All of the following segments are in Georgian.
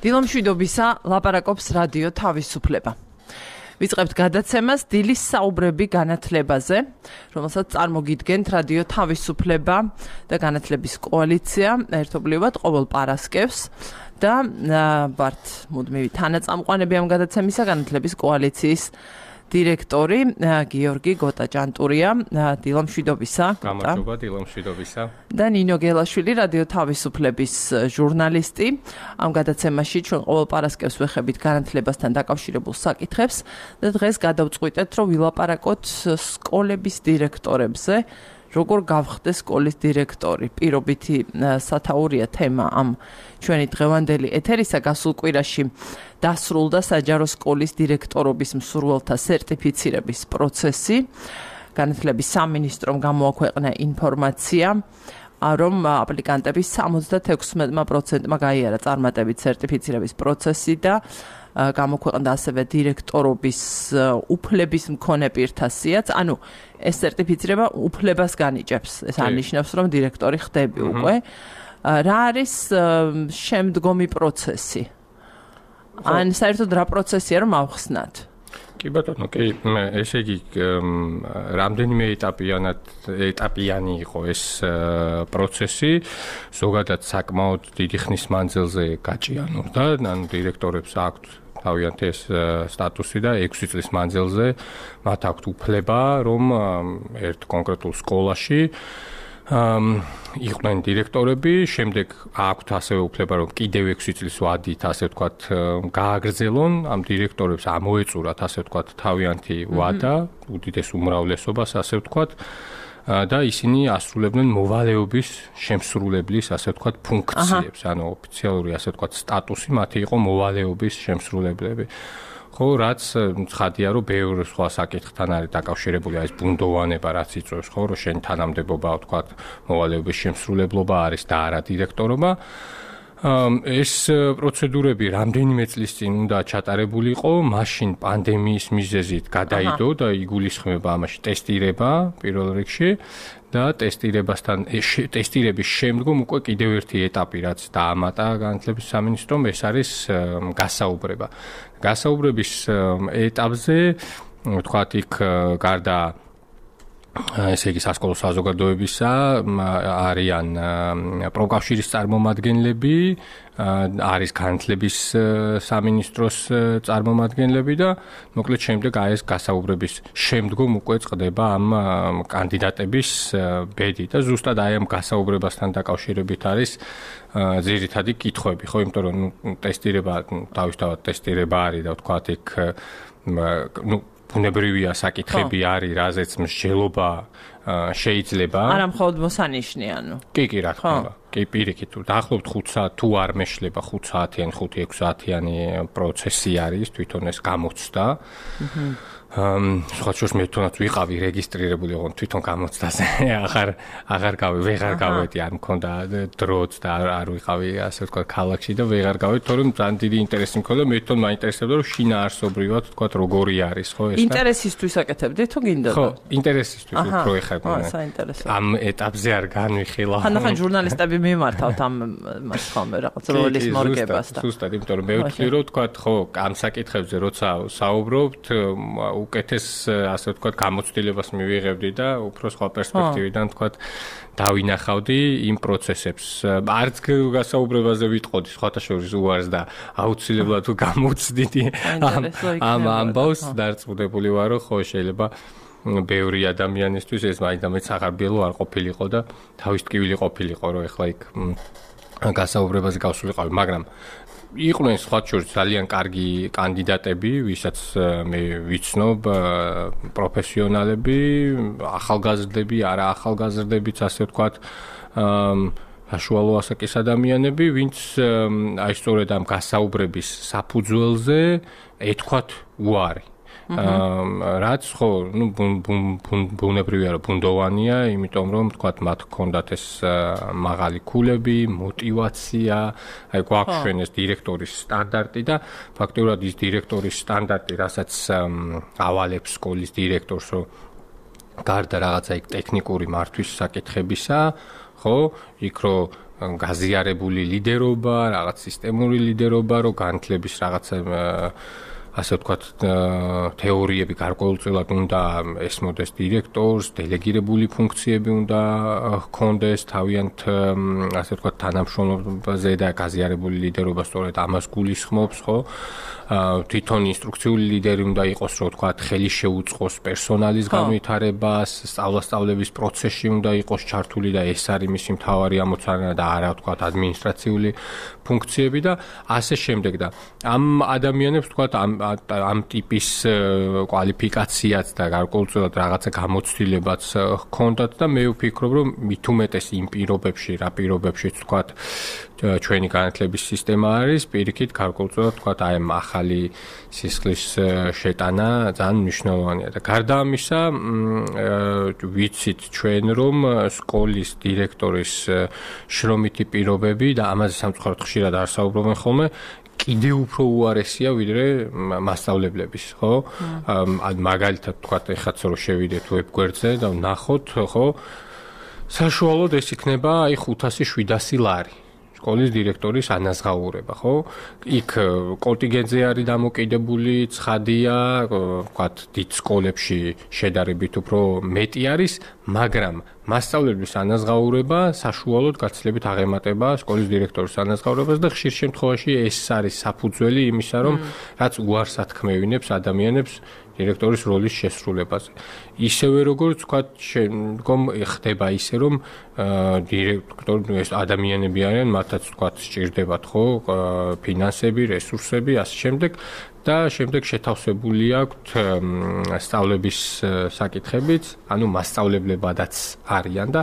დილომშვიდობისა ლაპარაკობს რადიო თავისუფლება. ვიწყებთ გადაცემას დილის საუბრები განათლებაზე, რომელსაც წარმოგიდგენთ რადიო თავისუფლება და განათლების კოალიცია ერთობლივად ყოველ პარასკევს და ვართ მუდმივი თანაწამყვანები ამ გადაცემისა განათლების კოალიციის დირექტორი გიორგი გოტაჭანტურია. დილომშვიდობისა. გამარჯობა, დილომშვიდობისა. და ნინო გელაშვილი, რადიო თავისუფლების ჟურნალისტი. ამ გადაცემაში ჩვენ ყოველ პარასკევს ვეხებით განათლებასთან დაკავშირებულ საკითხებს და დღეს გადავწყვიტეთ, რომ ვილაპარაკოთ სკოლების დირექტორებზე. როგორ გავხდეს სკოლის დირექტორი? პირობითი სათაურია თემა ამ ჩვენი დღევანდელი ეთერისა. გასულ კვირაში დასრულდა საჯარო სკოლის დირექტორობის მსურველთა სერტიფიცირების პროცესი. განათლების სამინისტრომ გამოაქვეყნა ინფორმაცია, რომ აპლიკანტების 76%-მა გაიარა წარმატებით სერტიფიცირების პროცესი და გამოქვეყნდა ასევე დირექტორობის უფლების მქონე პირთა სიაც. ანუ ეს სერტიფიცირება უფლებას განიჭებს. ეს არნიშნავს, რომ დირექტორი ხდები უკვე. რა არის შემდგომი პროცესი? ან საერთოდ რა პროცესია რომ ავხსნათ? კი ბატონო, კი, ესე იგი რამდენიმე ეტაპიანი იყო ეს პროცესი, ზოგადად საკმაოდ დიდი ხნის მანძილზე გაჭიანურდა, ანუ დირექტორებს აქვთ თავიანთი ეს სტატუსი და 6 წლის მანძილზე მათ აქვთ უფლება, რომ ერთ კონკრეტულ სკოლაში იყვნენ დირექტორები, შემდეგ აქვთ ასევე უფლება, რომ კიდევ 6 წლის ვადით, ასე ვთქვათ, გააგრძელონ ამ დირექტორებს, ამოეწურათ, ასე ვთქვათ, თავიანთი ვადა, უდიდეს უმრავლესობას, ასე ვთქვათ, და ისინი ასრულებდნენ მოვალეობის შემსრულებლის, ასე ვთქვათ, ფუნქციებს, ანუ ოფიციალური, ასე ვთქვათ, სტატუსი მათი იყო მოვალეობის შემსრულებლები. ხო, რაც ცხადია, რომ ბევრ სხვა საკითხთან არის დაკავშირებული, ეს ბუნდოვანება, რაც იწვევს, ხო, რომ შენ თანამდებობა, ვთქვათ, მოვალეობის შემსრულებლობა არის და არა დირექტორობა. ეს პროცედურები რამდენიმე წლის წინ უნდა ჩატარებულიყო, მაშინ პანდემიის მიზეზით გადაიდო და იგულისხმება ამაში ტესტირება პირველ რიგში და ტესტირების შემდგომ უკვე კიდევ ერთი ეტაპი, რაც დაამატა განათლების სამინისტრომ, ეს არის გასაუბრება. გასაუბრების ეტაპზე, ვთქვათ, იქ გარდა ესე იგი სასკოლო საზოგადოებისა არიან პროკავშირის წარმომადგენლები, არის განათლების სამინისტროს წარმომადგენლები და მოკლედ შემდეგ ეს გასაუბრების შემდგომ უკვე წყდება ამ კანდიდატების ბედი და ზუსტად ამ გასაუბრებასთან დაკავშირებით არის ძირითადი კითხვები, ხო, იმიტომ რომ ტესტირება, თავისთავად ტესტირება არის და ვთქვათ, იქ ბუნებრივია საკითხები არის, რაზეც მსჯელობა შეიძლება. არა მხოლოდ მოსანიშნე, ანუ. კი, რა თქმა უნდა. კი, პირიქით, დაახლოებით 5 საათ თუ არ მეშლება 5 საათიანი, 5-6 საათიანი პროცესი არის, თვითონ ეს გამოცდა. სხვა შორს მე თვითონაც ვიყავი რეგისტრირებული, ოღონდ თვითონ გამოცდაზე აღარ გავედი, არ მქონდა დროც და არ ვიყავი, ასე ვთქვათ, ქალაქში და ვეღარ გავედი, თორემ ძალიან დიდი ინტერესი მქონდა, მე თვითონ მაინტერესებდა, რომ შინაარსობრივად, ვთქვათ, როგორი არის, ხო, ეს და ინტერესისთვის აკეთებდით თუ გინდა? ხო, ინტერესისთვის უფრო ეხება. საინტერესო. ამ ეტაპზე არ განვიხილავ. ხან ჟურნალისტები მიმართავთ ამას ხოლმე რაღაც როლის მორგებას და. ზუსტად, იმიტომ რომ მე ვთვლი, რომ ვთქვათ, ხო, ამ საკითხებზე როცა საუბრობთ, უკეთეს, ასე ვთქვათ, გამოცდილებას მივიღებდი და უფრო სხვა პერსპექტივიდან, ვთქვათ, დავინახავდი იმ პროცესებს. არც გასაუბრებაზე ვიტყოდი, სხვათა შორის უარს და აუცილებლად თუ გამოცდიდი ამ ამბავს, დარწმუნებული ვარ, რომ ხო, შეიძლება ბევრი ადამიანისთვის ეს მაინც აღარბიელო არ ყოფილიყო და თავის ტკივილი ყოფილიყო, რომ ეხლა იქ გასაუბრებაზე გავსულიყავი, მაგრამ იყვნენ სხვა შორის ძალიან კარგი კანდიდატები, ვისაც მე ვიცნობ, პროფესიონალები, ახალგაზრდები, არა ახალგაზრდებიც, ასე ვთქვათ, საშუალო ასაკის ადამიანები, ვინც აი სწორედ ამ გასაუბრების საფუძველზე ეთქვათ უარი. რაც ხო, ну, ბუნებრივია, რომ ბუნდოვანია, იმიტომ რომ თქვათ, მათ ჰქონდათ ეს მაღალი ქულები, мотивация, აი გვაქვს ჩვენ ეს დირექტორის სტანდარტი და ფაქტობრივად ის დირექტორის სტანდარტი, რასაც ავალებს სკოლის დირექტორს, რომ გარდა რაღაცა იქ ტექნიკური მართვის საკითხებისა, ხო, იქ რომ გაზიარებული ლიდერობა, რაღაც სისტემური ლიდერობა, რომ განათლების რაღაცა ასე ვთქვათ, თეორიები გარკვეულწილად უნდა ესმოდეს დირექტორს, დელეგირებული ფუნქციები უნდა ჰქონდეს თავიანთ, ასე ვთქვათ, თანამშრომლობაზე და გაზიარებული ლიდერობა სწორედ ამას გულისხმობს, ხო? თვითონ ინსტრუქციული ლიდერი უნდა იყოს, რომ ვთქვათ, ხელი შეუწყოს პერსონალის განვითარებას, სწავლასწავლების პროცესში უნდა იყოს ჩართული და ეს არის მისი მთავარი ამოცანა და არა, ვთქვათ, ადმინისტრაციული ფუნქციები და ასე შემდეგ და ამ ადამიანებს, ვთქვათ, ამ ტიპის კვალიფიკაციაც და გარკვეულწილად რაღაცა გამოცდილებაც ჰქონდათ და მე ვფიქრობ, რომ მით უმეტეს იმ პირობებში, რა პირობებშიც ვთქვათ, ჩვენი განათლების სისტემა არის, პირიქით გარკვეულწილად ვთქვათ, აი ამ ახალი სისხლის შეტანა ძალიან მნიშვნელოვანია და გარდა ამისა, ვიცით ჩვენ, რომ სკოლის დირექტორის შრომითი პირობები და ამაზე სამწუხაროდ ხშირად არ საუბრობენ ხოლმე კიდევ უფრო უარესია ვიდრე მასწავლებლების, ხო? მაგალითად ვთქვათ, ეხაც რომ შევიდეთ ვებგვერდზე და ვნახოთ, ხო? საშუალოდ ეს იქნება აი 500-700 ლარი. სკოლის დირექტორის ანაზღაურება, ხო? იქ კონტინგენტზე არის დამოკიდებული, ცხადია, ვთქვათ, დიდ სკოლებში შედარებით უფრო მეტი არის, მაგრამ მასწავლებლების ანაზღაურება საშუალოდ გაცილებით აღემატება სკოლის დირექტორის ანაზღაურებას და ხშირ შემთხვევაში ეს არის საფუძველი იმისა, რომ რაც უარს ათქმევინებს ადამიანებს დირექტორის როლის შესრულებაზე. ისევე როგორც ვთქვათ, ხდება ისე, რომ დირექტორი ეს ადამიანები არიან, მათაც ვთქვათ, სჭირდებათ, ხო, ფინანსები, რესურსები, ასე შემდეგ და შემდეგ შეთავსებული აქვთ სწავლების საკითხებიც, ანუ მასწავლებლებადაც არიან და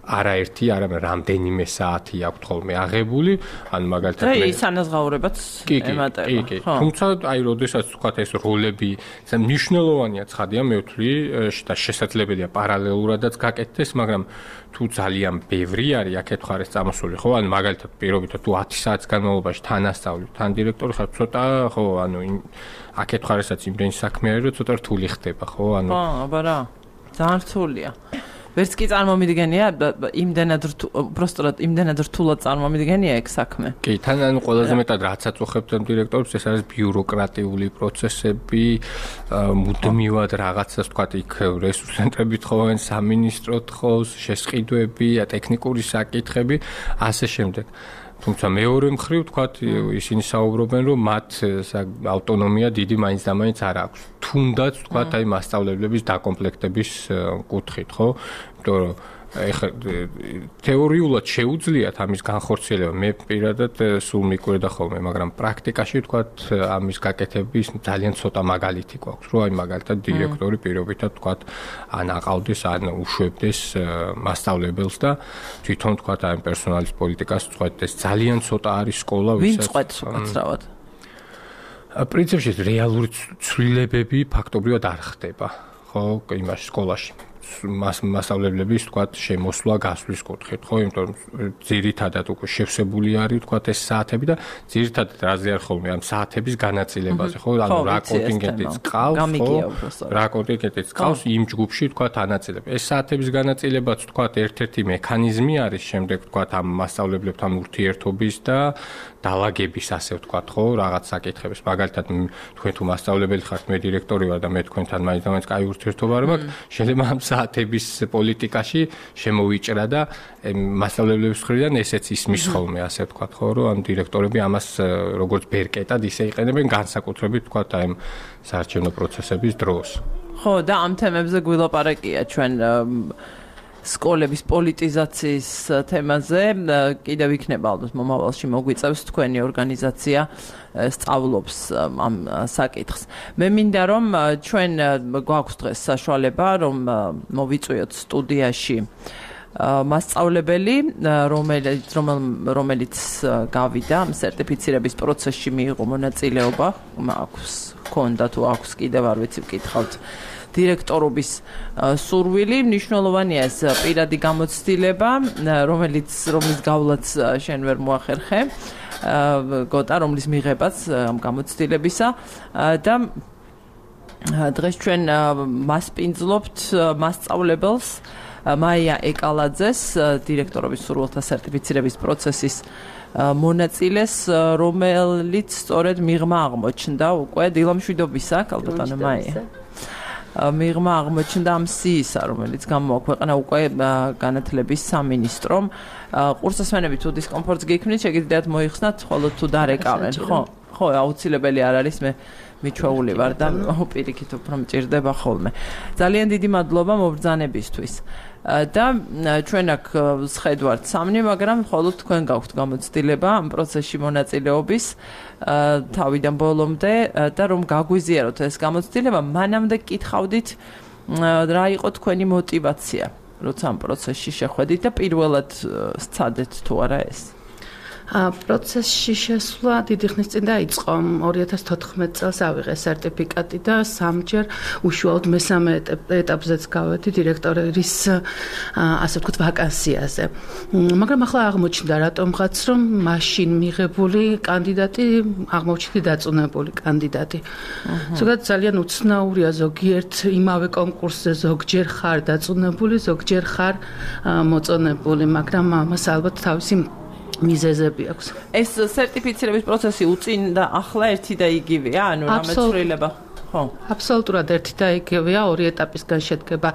არაერთი, არამედ რამდენიმე საათი აქვთ ხოლმე აღებული, ანუ მაგალითად და ის ანაზღაურებაც ემატება. კი. თუმცა აი, როდესაც ვთქვათ, ეს როლები მნიშვნელოვანია, ცხადია, მე ვთვლი და შესაძლებელია პარალელურადაც გაკეთდეს, მაგრამ თუ ძალიან ბევრი არის აქეთ ხარ ეს წამოსული, ხო? ანუ მაგალითად პირობითად თუ 10 საათის განმავლობაში თან ასწავლი, თან დირექტორი ხარ, ცოტა, ხო, ანუ აქეთ ხარ ესაც იმდენი საქმე არის, რომ ცოტა რთული ხდება, ხო? ანუ აბა რა. ძალიან რთულია. ვერც კი წარმომიდგენია, იმდენად რთულად წარმომიდგენია ეგ საქმე. კი, თან ანუ ყველაზე მეტად რაც აწუხებთ დირექტორებს, ეს არის ბიუროკრატიული პროცესები, მუდმივად რაღაცას ვთქვათ, იქ რესურს ცენტრები თხოვენ, სამინისტრო თხოვს, შესყიდვები, ტექნიკური საკითხები, ასე შემდეგ. თუმცა მეორე მხრივ ვთქვათ, ისინი საუბრობენ, რომ მათ ავტონომია დიდი მაინც და მაინც არ აქვს. თუნდაც ვთქვათ, აი მასწავლებლების დაკომპლექტების კუთხით, ხო? იმიტომ რომ ეხლა თეორიულად შეუძლიათ ამის განხორციელება, მე პირადად სულ მიკვირდა ხოლმე, მაგრამ პრაქტიკაში ვთქვათ, ამის გაკეთების ძალიან ცოტა მაგალითი გვაქვს, რომ აი მაგალითად დირექტორი პირობითად ვთქვათ, ან აყავდეს, ან უშვებდეს მასწავლებელს და თვითონ ვთქვათ, აი პერსონალის პოლიტიკას წვეთდეს. ძალიან ცოტა არის სკოლა, ვინ წვეთს უკაცრავად? პრინციპში რეალური ცვლილებები ფაქტობრივად არ ხდება, ხო, იმაში სკოლაში. მასწავლებლების ვთქვათ შემოსვლა გასვლის კუთხით, ხო, იმიტომ რომ ძირითადად უკვე შევსებული არის ვთქვათ ეს საათები და ძირითადად რაზე არ ხოლმე ამ საათების განაწილებაზე, ხო, ანუ რა კონტინგენტიც ყავს, ხო, რა კონტინგენტიც ყავს იმ ჯგუფში ვთქვათ ანაწილება. ეს საათების განაწილებაც ვთქვათ ერთ-ერთი მექანიზმი არის შემდეგ ვთქვათ ამ მასწავლებლებთან ურთიერთობის და დაალაგების ასე ვთქვათ, ხო, რაღაც საკითხების. მაგალითად თქვენ თუ მასწავლებელი ხართ, მე დირექტორი ვარ და მე თქვენთან მაინც და მაინც კაი ურთიერთობა არ მაქვს, შეიძლება ამ საათების პოლიტიკაში შემოვიჭრა და მასწავლებლების მხრიდან ესეც ისმის ხოლმე, ასე ვთქვათ, ხო, რომ ამ დირექტორები ამას როგორც ბერკეტად ისე იყენებენ განსაკუთრებით ვთქვათ აი ამ საარჩევნო პროცესების დროს. ხო, და ამ თემებზე გვილაპარაკია ჩვენ სკოლების პოლიტიზაციის თემაზე, კიდევ იქნება ალბათ მომავალში მოგვიწევს თქვენი ორგანიზაცია სწავლობს ამ საკითხს. მე მინდა რომ ჩვენ გვაქვს დღეს საშუალება რომ მოვიწვიოთ სტუდიაში მასწავლებელი, რომელიც გავიდა სერტიფიცირების პროცესში მიიღო მონაწილეობა, ჰქონდა თუ აქვს კიდევ არ ვიცი ვკითხავთ დირექტორობის სურვილი, მნიშვნელოვანია ეს პირადი გამოცდილება, რომლის გავლაც შენ ვერ მოახერხე, გოტა, რომლის მიღებაც ამ გამოცდილებისა და დღეს ჩვენ მასპინძლობთ მასწავლებელს, მაია ეკალაძეს, დირექტორობის სურვილთა სერტიფიცირების პროცესის მონაწილეს, რომელიც სწორედ მიღმა აღმოჩნდა უკვე დილამშვიდობისა, კალბატონო მაია. მიღმა აღმოჩნდა ამ სიისა, რომელიც გამოაქვეყნა უკვე განათლების სამინისტრომ. ყურსასმენები თუ დისკომფორტს გიქმნით, შეგიძლიათ მოიხსნათ, ხოლო თუ დარეკავენ, ხო? ხო, აუცილებელი არ არის, მე მიჩვეული ვარ და პირიქით უფრო მჭირდება ხოლმე. ძალიან დიდი მადლობა მობრძანებისთვის. და ჩვენ აქ სხედვართ სამნი, მაგრამ მხოლოდ თქვენ გაქვთ გამოცდილება ამ პროცესში მონაწილეობის თავიდან ბოლომდე და რომ გაგვიზიაროთ ეს გამოცდილება, მანამდე გკითხავდით რა იყო თქვენი мотиваცია, როცა ამ პროცესში შეხვედით და პირველად სცადეთ თუ არა ეს? პროცესში შესვლა დიდი ხნის წინ დაიწყო. 2014 წელს ავიღე სერტიფიკატი და სამჯერ უშუალოდ მესამე ეტაპზეც გავედი დირექტორის ასე ვთქვათ ვაკანსიაზე. მაგრამ ახლა აღმოჩნდა რატომღაც რომ მაშინ მიღებული კანდიდატი აღმოჩნდა დაწუნებული კანდიდატი. ზოგადად ძალიან უცნაურია ზოგიერთ იმავე კონკურსზე ზოგჯერ ხარ დაწუნებული, ზოგჯერ ხარ მოწონებული, მაგრამ ამას ალბათ თავისი მიზეზები აქვს. ეს სერტიფიცირების პროცესი უწინდა ახლა ერთი და იგივეა, ანუ რამეცვლილება? ხო. აბსოლუტურად ერთი და იგივეა, ორი ეტაპისგან შედგება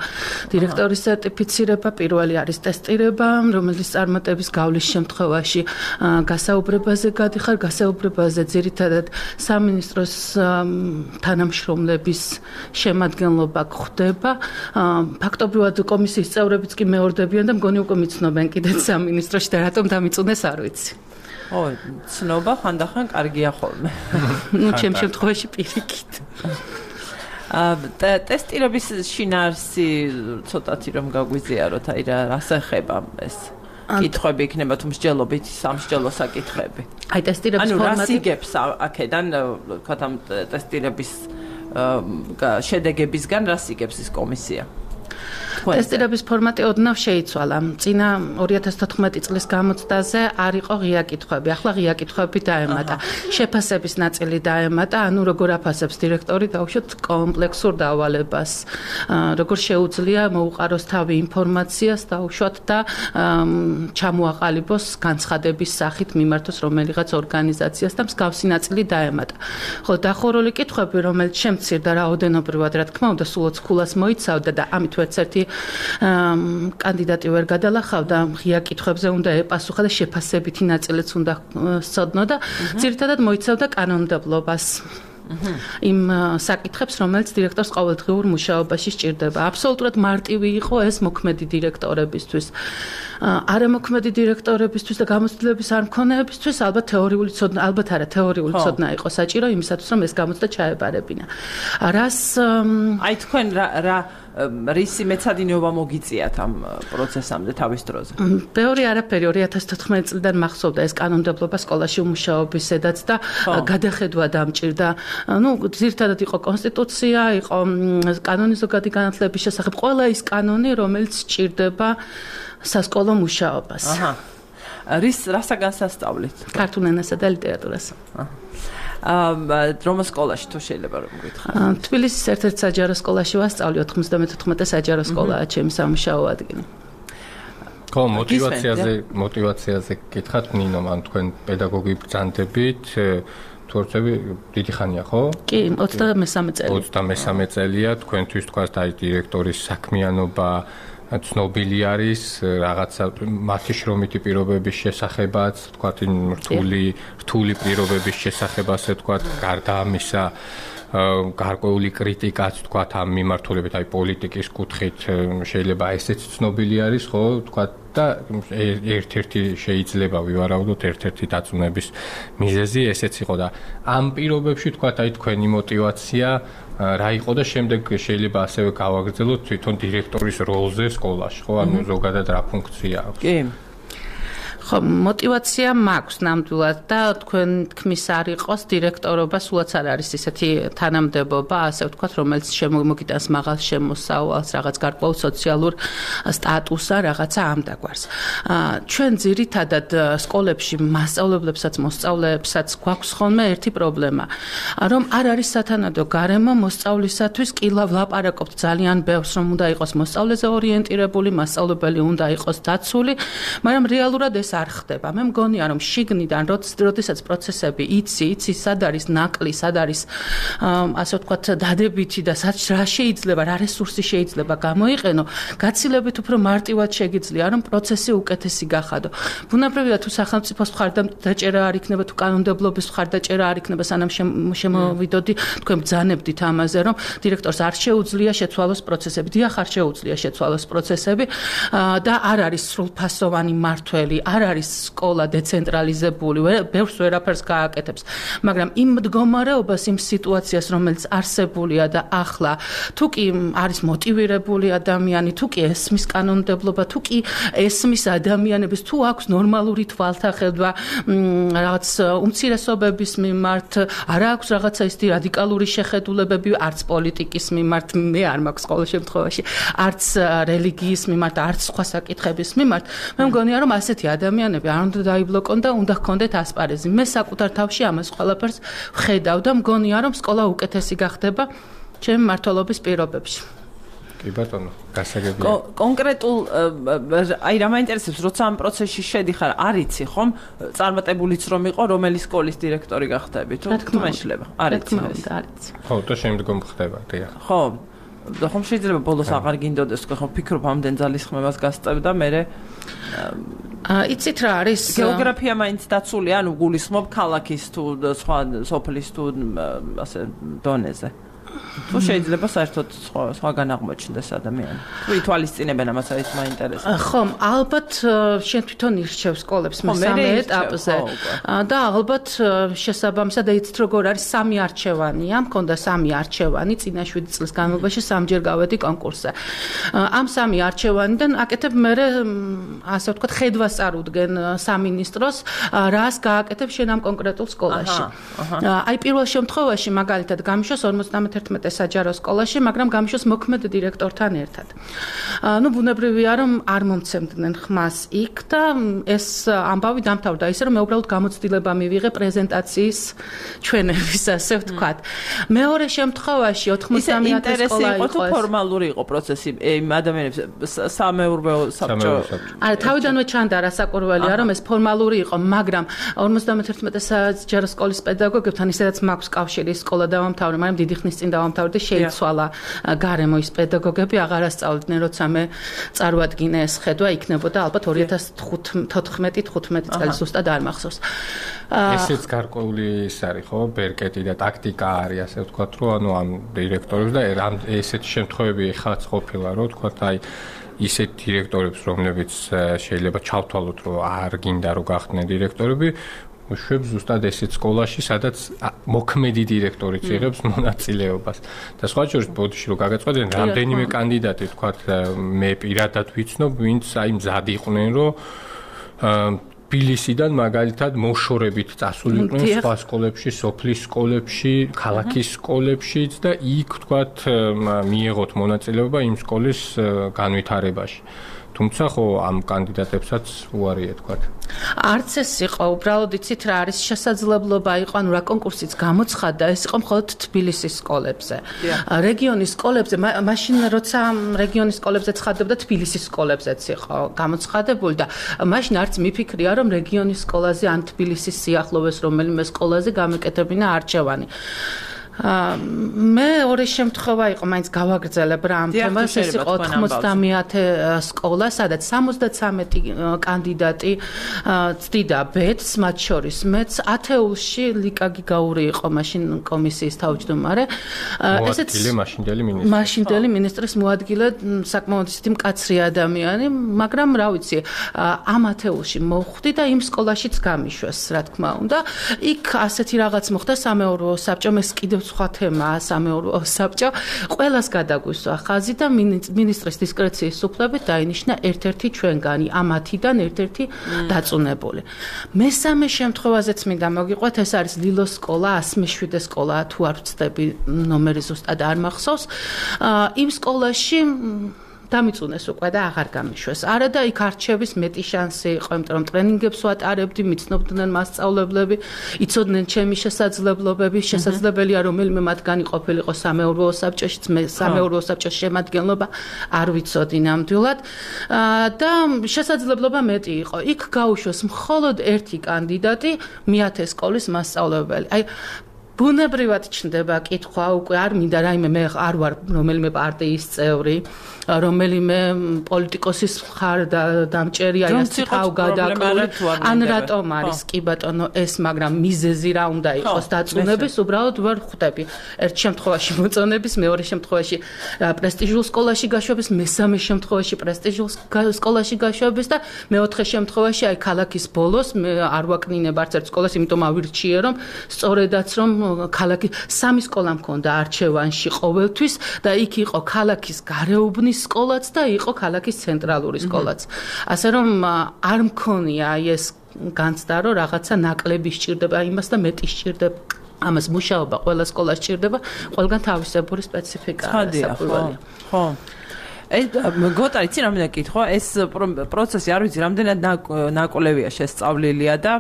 დირექტორის სერტიფიცირება, პირველი არის ტესტირება, რომელიც წარმატების გავლის შემთხვევაში გასაუბრებაზე გადიხარ, გასაუბრებაზე ძირითადად სამინისტროს თანამშრომლების შემადგენლობა გვხდება. ფაქტობრივად კომისიის წევრებიც კი მეორდებიან და მგონი უკვე მიცნობენ კიდეც სამინისტროში და რატომ დამიწუნეს არ ვიცი. ო, ცნობა ხანდახან კარგია ხოლმე. ნუ ჩემ შემთხვევაში პირიქით. ტესტირების შინაარსი ცოტათი რომ გაგვიზიაროთ, აი რას ეხება ეს? კითხვები იქნება თუ მსჯელობით, სამსჯელო საკითხები. აი ტესტირების ფორმატი. ანუ რას ფორმატი იგებს აქედან, ვთქვათ ამ ტესტირების შედეგებისგან რას იგებს ეს კომისია? ტესტირების ფორმატი ოდნავ შეიცვალა. წინა 2014 წლის გამოცდაზე არ იყო ღია კითხვები. ახლა ღია კითხვები დაემატა. შეფასების ნაწილი დაემატა, ანუ როგორ აფასებს დირექტორი დაუშვათ კომპლექსურ დავალებას. როგორ შეუძლია მოუყაროს თავი ინფორმაციას დაუშვათ და ჩამოაყალიბოს განცხადების სახით მიმართოს რომელიღაც ორგანიზაციას და მსგავსი ნაწილი დაემატა. ხოლო დახურული კითხვები, რომელიც შემცირდა რაოდენობრივად, რა თქმა უნდა, სულ 20 ქულას მოიცავდა და ამით ერთ-ერთი კანდიდატი ვერ გადალახავდა, ღია კითხვებზე უნდა ეპასუხა და შეფასებითი ნაწილიც უნდა სცოდნო და ძირითადად მოიცავდა კანონმდებლობას. იმ საკითხებს, რომელიც დირექტორს ყოველდღიურ მუშაობაში სჭირდება. აბსოლუტურად მარტივი იყო ეს მოქმედი დირექტორებისთვის. არამოქმედი დირექტორებისთვის და გამოცდილების არ მქონეებისთვის ალბათ თეორიული ცოდნა, ალბათ არა, თეორიული ცოდნა იყო საჭირო იმისათვის, რომ ეს გამოცდა ჩაებარებინა. რას აი თქვენ რა რისი მეცადინეობა მოგიწიათ ამ პროცესამდე თავის დროზე? ბევრი არაფერი 2014 წლიდან მახსოვდა ეს კანონმდებლობა სკოლაში უმუშაობისედაც და გადახედვა დამჭირდა. ნუ ძირითადად იყო კონსტიტუცია, იყო კანონი ზოგადი განათლების შესახებ, ყველა ის კანონი, რომელიც სჭირდება სასკოლო მუშაობას. რასაგან სასწავლით? ქართულ ენასა და ლიტერატურას. რომის სკოლაში თუ შეიძლება რომ გითხრათ? თბილისის ერთ-ერთ საჯარო სკოლაში ვასწავლი, 94 საჯარო სკოლაა ჩემი სამუშაო ადგილი. ხო, мотиваციაზე გითხრათ ნინო, ან თქვენ პედაგოგი ბრძანდებით თორცები დიდი ხანია, ხო? კი, 23 წელი. 23 წელია, თქვენთვის თქვა და დირექტორის საქმიანობა ცნობილი არის რაღაცა მათი შრომითი პირობების შესახებაც, თქვათ რთული პირობების შესახებაც, თქვათ გარდა ამისა გარკვეული კრიტიკაც თქვათ ამ მიმართულებით, აი პოლიტიკის კუთხით შეიძლება ესეც ცნობილი არის, ხო, თქვათ და ერთ-ერთი შეიძლება ვივარაუდოთ ერთ-ერთი დაწუნების მიზეზი ესეც იყო და ამ პირობებში თქვათ აი თქვენი мотиваცია რა იყო და შემდეგ შეიძლება ასევე გავაგრძელოთ თვითონ დირექტორის როლზე სკოლაში, ხო, ანუ ზოგადად რა ფუნქცია აქვს? კი. ხო, мотивация მაქვს ნამდვილად და თქვენ თქმის არ იყოს დირექტორობა სულაც არ არის ისეთი თანამდებობა, ასე ვთქვათ, რომელიც შემოგიტანს მაღალ შემოსავალს, რაღაც გარკვეულ სოციალურ სტატუსა, რაღაცა ამ დაგვარს. ჩვენ ძირითადად სკოლებში მასწავლებლებსაც, მოსწავლეებსაც გვაქვს ხოლმე ერთი პრობლემა, რომ არ არის სათანადო გარემო მოსწავლისათვის, კი ვლაპარაკობთ ძალიან ბევრს, რომ უნდა იყოს მოსწავლეზე ორიენტირებული, მასწავლებელი უნდა იყოს დაცული, მაგრამ რეალურად ეს არ ხდება. მე მგონია, რომ შიგნიდან, როდესაც პროცესები იცი, სად არის ნაკლი, სად არის ასე ვთქვათ, დადებითი და რა შეიძლება, რა რესურსი შეიძლება გამოიყენო, გაცილებით უფრო მარტივად შეგიძლია, რომ პროცესი უკეთესი გახადო. ბუნებრივია თუ სახელმწიფოს მხარდაჭერა არ იქნება, თუ კანონმდებლობის მხარდაჭერა არ იქნება, სანამ შემოვიდოდი, თქვენ ბრძანებდით ამაზე, რომ დირექტორს არ შეუძლია შეცვალოს პროცესები. დიახ, არ შეუძლია შეცვალოს პროცესები და არ არის სრულფასოვანი მართველი, არ არის სკოლა დეცენტრალიზებული, ბევრს ვერაფერს გააკეთებს. მაგრამ იმ მდგომარეობას, იმ სიტუაციას, რომელიც არსებულია და ახლა, თუ კი არის მოტივირებული ადამიანი, თუ კი ესმის კანონმდებლობა, თუ კი ესმის ადამიანების, თუ აქვს ნორმალური თვალთახედვა, რაღაც უმცირესობების მიმართ, არ აქვს რაღაცა ისეთი რადიკალური შეხედულებები, არც პოლიტიკის მიმართ, მე არ მაქვს ყოველ შემთხვევაში, არც რელიგიის მიმართ, არც სხვა საკითხების მიმართ. მე მგონია, რომ ასეთი ადამიანები არ უნდა დაიბლოკონ და უნდა ჰქონდეთ ასპარეზი. მე საკუთარ თავში ამას ყველაფერს ვხედავ და მგონია, რომ სკოლა უკეთესი გახდება ჩემი მმართველობის პირობებში. კი ბატონო, გასაგებია. კონკრეტულ აი რა მაინტერესებს, როცა ამ პროცესში შედიხარ, არ იცი ხომ, წარმატებულიც რომ იყო, რომელი სკოლის დირექტორი გახდები თუ შეიძლება? არ იცი. ხო, და შემდგომ ხდება, დიახ. ხო. და ხომ შეიძლება ბოლოს აღარ გინდოდეს, ხო, ფიქრობ ამდენ ძალისხმევას გასწევ და მე იცით რა არის? გეოგრაფია მაინც დაცული, ანუ გულისხმობ ქალაქის თუ სხვა სოფლის თუ ასე დონეზე. თუ შეიძლება საერთოდ სხვაგან აღმოჩნდეს ადამიანი. თუ ითვალისწინებენ ამას, არის მაინტერესებს. ხო, ალბათ შენ თვითონ ირჩევ სკოლებს მესამე ეტაპზე და ალბათ შესაბამისად იცით როგორ არის სამი არჩევანია, მქონდა სამი არჩევანი წინა 7 წლის განმავლობაში სამჯერ გავედი კონკურსზე. ამ სამი არჩევანიდან აკეთებ მე ასე ვთქვათ ხედვას წარუდგენ სამინისტროს, რას გააკეთებ შენ ამ კონკრეტულ სკოლაში. აი პირველ შემთხვევაში მაგალითად გამიშოს 51 საჯარო სკოლაში, მაგრამ გამიშოს მოქმედ დირექტორთან ერთად. ნუ ბუნებრივია, რომ არ მომცემდნენ ხმას იქ და ეს ამბავი დამთავრდა ისე, რომ მე უბრალოდ გამოცდილება მივიღე პრეზენტაციის ჩვენების, ასე ვთქვათ. მეორე შემთხვევაში 99 სკოლა იყო. თუ ფორმალური იყო პროცესი, იმ ადამიანებს სამეურვეო საბჭო. არა, თავიდანვე ჩანდა რასაკვირველია, რომ ეს ფორმალური იყო, მაგრამ 51 საჯარო სკოლის პედაგოგებთან ისედაც მაქვს კავშირი, სკოლა დავამთავრე, მაგრამ დიდი ხნის წინ დავამთავრე, შეიცვალა გარემო ის პედაგოგები აღარ ასწავლიდნენ, როცა მე წარვადგინე ეს ხედვა, იქნებოდა ალბათ 2014-15 წელი ზუსტად არ მახსოვს. ესეც გარკვეული ის არის, ხო, ბერკეტი და ტაქტიკა არის, ასე ვთქვათ, რომ ანუ ამ დირექტორებს და ესეთი შემთხვევები ხაც ყოფილა, რომ ვთქვათ, აი ისეთ დირექტორებს, რომლებიც შეიძლება ჩავთვალოთ, რომ არ გინდა რომ გახდნენ დირექტორები, შვებს ზუსტად ესეთ სკოლაში, სადაც მოქმედი დირექტორიც იღებს მონაწილეობას. და სხვა შორის ბოდიში რომ გაგაწყვეტენ, რამდენიმე კანდიდატი, თქვათ, მე პირადად ვიცნობ, ვინც აი მზად იყვნენ, რომ თბილისიდან მაგალითად მოშორებით წასულიყვნენ სხვა სკოლებში, სოფლის სკოლებში, ქალაქის სკოლებშიც და იქ, თქვათ, მიეღოთ მონაწილეობა იმ სკოლის განვითარებაში. თუმცა ხო ამ კანდიდატებსაც უარია თქვათ. არც ეს იყო, უბრალოდ იცით რა არის შესაძლებლობა იყო, ანუ რა კონკურსიც გამოცხადდა, ეს იყო მხოლოდ თბილისის სკოლებზე. რეგიონის სკოლებზე, მაშინ როცა რეგიონის სკოლებზე ცხადდებდა, თბილისის სკოლებზეც იყო გამოცხადებული და მაშინ არც მიფიქრია, რომ რეგიონის სკოლაზე ან თბილისის სიახლოვეს რომელიმე სკოლაზე გამეკეთებინა არჩევანი. მეორე შემთხვევა იყო, მაინც გავაგრძელებ რა ამ თემას, ეს იყო 90-ათე სკოლა, სადაც 73 კანდიდატი წდიდა ბედს, მათ შორის მეც ათეულში ლიკა გიგაური იყო მაშინ კომისიის თავმჯდომარე. ესეც მაშინდელი მინისტრის მოადგილე, საკმაოდ ისეთი მკაცრი ადამიანი, მაგრამ რა ვიცი, ამ ათეულში მოვხვდი და იმ სკოლაშიც გამიშვეს, რა თქმა უნდა. იქ ასეთი რაღაც მოხდა სამეურვეო საბჭომ, ეს კიდევ სხვა თემაა სამეურვეო საბჭო. ყველას გადაგვისვა ხაზი და მინისტრის დისკრეციის უფლებით დაინიშნა ერთ-ერთი ჩვენგანი, ამათიდან ერთ-ერთი დაწუნებული. მესამე შემთხვევაზეც მინდა მოგიყვეთ, ეს არის ლილოს სკოლა, 107 სკოლაა, თუ არ ვცდები, ნომერი ზუსტად არ მახსოვს. იმ სკოლაში დამიწუნეს უკვე და აღარ გამიშვეს. არა და იქ არჩევის მეტი შანსი იყო, იმიტომ რომ ტრენინგებს ვატარებდი, მიცნობდნენ მასწავლებლები, იცოდნენ ჩემი შესაძლებლობები, შესაძლებელია რომელიმე მათგანი ყოფილიყო სამეურვეო საბჭოშიც, მე სამეურვეო საბჭოს შემადგენლობა არ ვიცოდი ნამდვილად და შესაძლებლობა მეტი იყო. იქ გაუშვეს მხოლოდ ერთი კანდიდატი, მეათე სკოლის მასწავლებელი. აი ბუნებრივად ჩნდება კითხვა, უკვე არ მინდა რაიმე მე არ ვარ რომელიმე პარტიის წევრი, რომელიმე პოლიტიკოსის მხარ დამჭერი, აი ასე თავ გადაკრული, ან რატომ არის კი ბატონო ეს, მაგრამ მიზეზი რა უნდა იყოს დაწუნების, უბრალოდ ვერ ხვდები. ერთ შემთხვევაში მოწონების, მეორე შემთხვევაში პრესტიჟულ სკოლაში გაშვების, მესამე შემთხვევაში პრესტიჟულ სკოლაში გაშვების და მეოთხე შემთხვევაში აი ქალაქის ბოლოს მე არ ვაკნინებ არც ერთ სკოლას, იმიტომ ავირჩიე რომ სწორედაც რომ ქალაქი სამი სკოლა მქონდა არჩევანში ყოველთვის და იქ იყო ქალაქის გარეუბნის სკოლაც და იყო ქალაქის ცენტრალური სკოლაც. ასე რომ არ მქონია ეს განცდა რომ რაღაცა ნაკლები სჭირდება იმას და მეტი სჭირდება. ამას მუშაობა ყველა სკოლას სჭირდება, ყველგან თავისებური სპეციფიკაა საფუძველი. ხო. ეს გოტა იცი რამდენი კითხვა, ეს პროცესი არ ვიცი რამდენად ნაკოლევია შესწავლილია და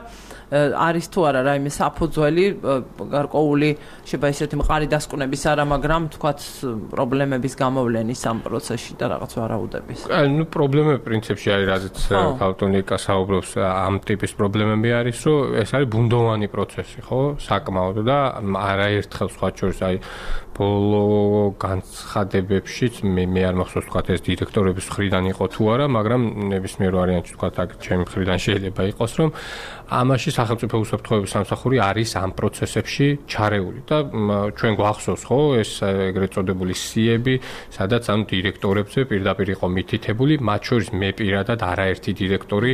არის თუ არა რაიმე საფუძველი გარკვეული შეიძლება ისეთი მყარი დასკვნების არა, მაგრამ თქვათ პრობლემების გამოვლენის ამ პროცესში და რაღაც ვარაუდების. ნუ პრობლემები პრინციპში არის, რაზეც ქალტონიკა საუბრობს, ამ ტიპის პრობლემები არის, რომ ეს არის ბუნდოვანი პროცესი, ხო? საკმაოდ და არაერთხელ სხვა შორის აი ბოლო განცხადებებშიც მე არ მახსოვს თქვათ ეს დირექტორების მხრიდან იყო თუ არა, მაგრამ ნებისმიერ ვარიანტში თქვათ აქ ჩემი მხრიდან შეიძლება იყოს, რომ ამაში სახელმწიფო უსაფრთხოების სამსახური არის ამ პროცესებში ჩარეული და ჩვენ გვახსოვს ხო ეს ეგრეთ წოდებული სიები, სადაც ამ დირექტორებზე პირდაპირ იყო მითითებული, მათ შორის მე პირადად არაერთი დირექტორი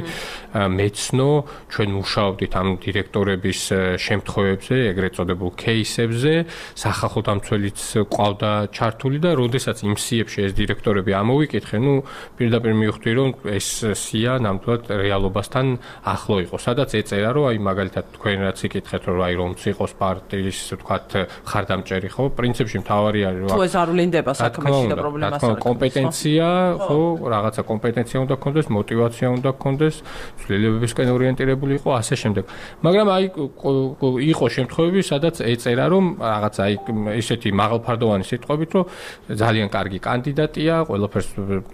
მეცნო, ჩვენ მუშაობდით ამ დირექტორების შემთხვევებზე, ეგრეთ წოდებულ кейსებზე, სახალხო დამცველიც ყავდა ჩართული და როდესაც იმ სიებში ეს დირექტორები ამოვიკითხე, ნუ პირდაპირ მივხვდი რომ ეს სია ნამდვილად რეალობასთან ახლო იყო, სადაც ეწერა რომ აი მაგალითად თქვენ რაც იკითხეთ რომ აი რომც იყოს პარტიის თქვათ ხარდამჭერი ხო პრინციპში მთავარი არის რომ თუ ეს არ ვლინდება საქმეში და პრობლემას არ კომპეტენცია ხო რაღაცა კომპეტენცია უნდა გქონდეს, მოტივაცია უნდა გქონდეს, ცვლილებებისკენ ორიენტირებული იყო ასე შემდეგ. მაგრამ აი იყო შემთხვევები სადაც ეწერა რომ რაღაცა აი ისეთი მაღალფარდოვანი სიტყვებით რომ ძალიან კარგი კანდიდატია, ყველაფერს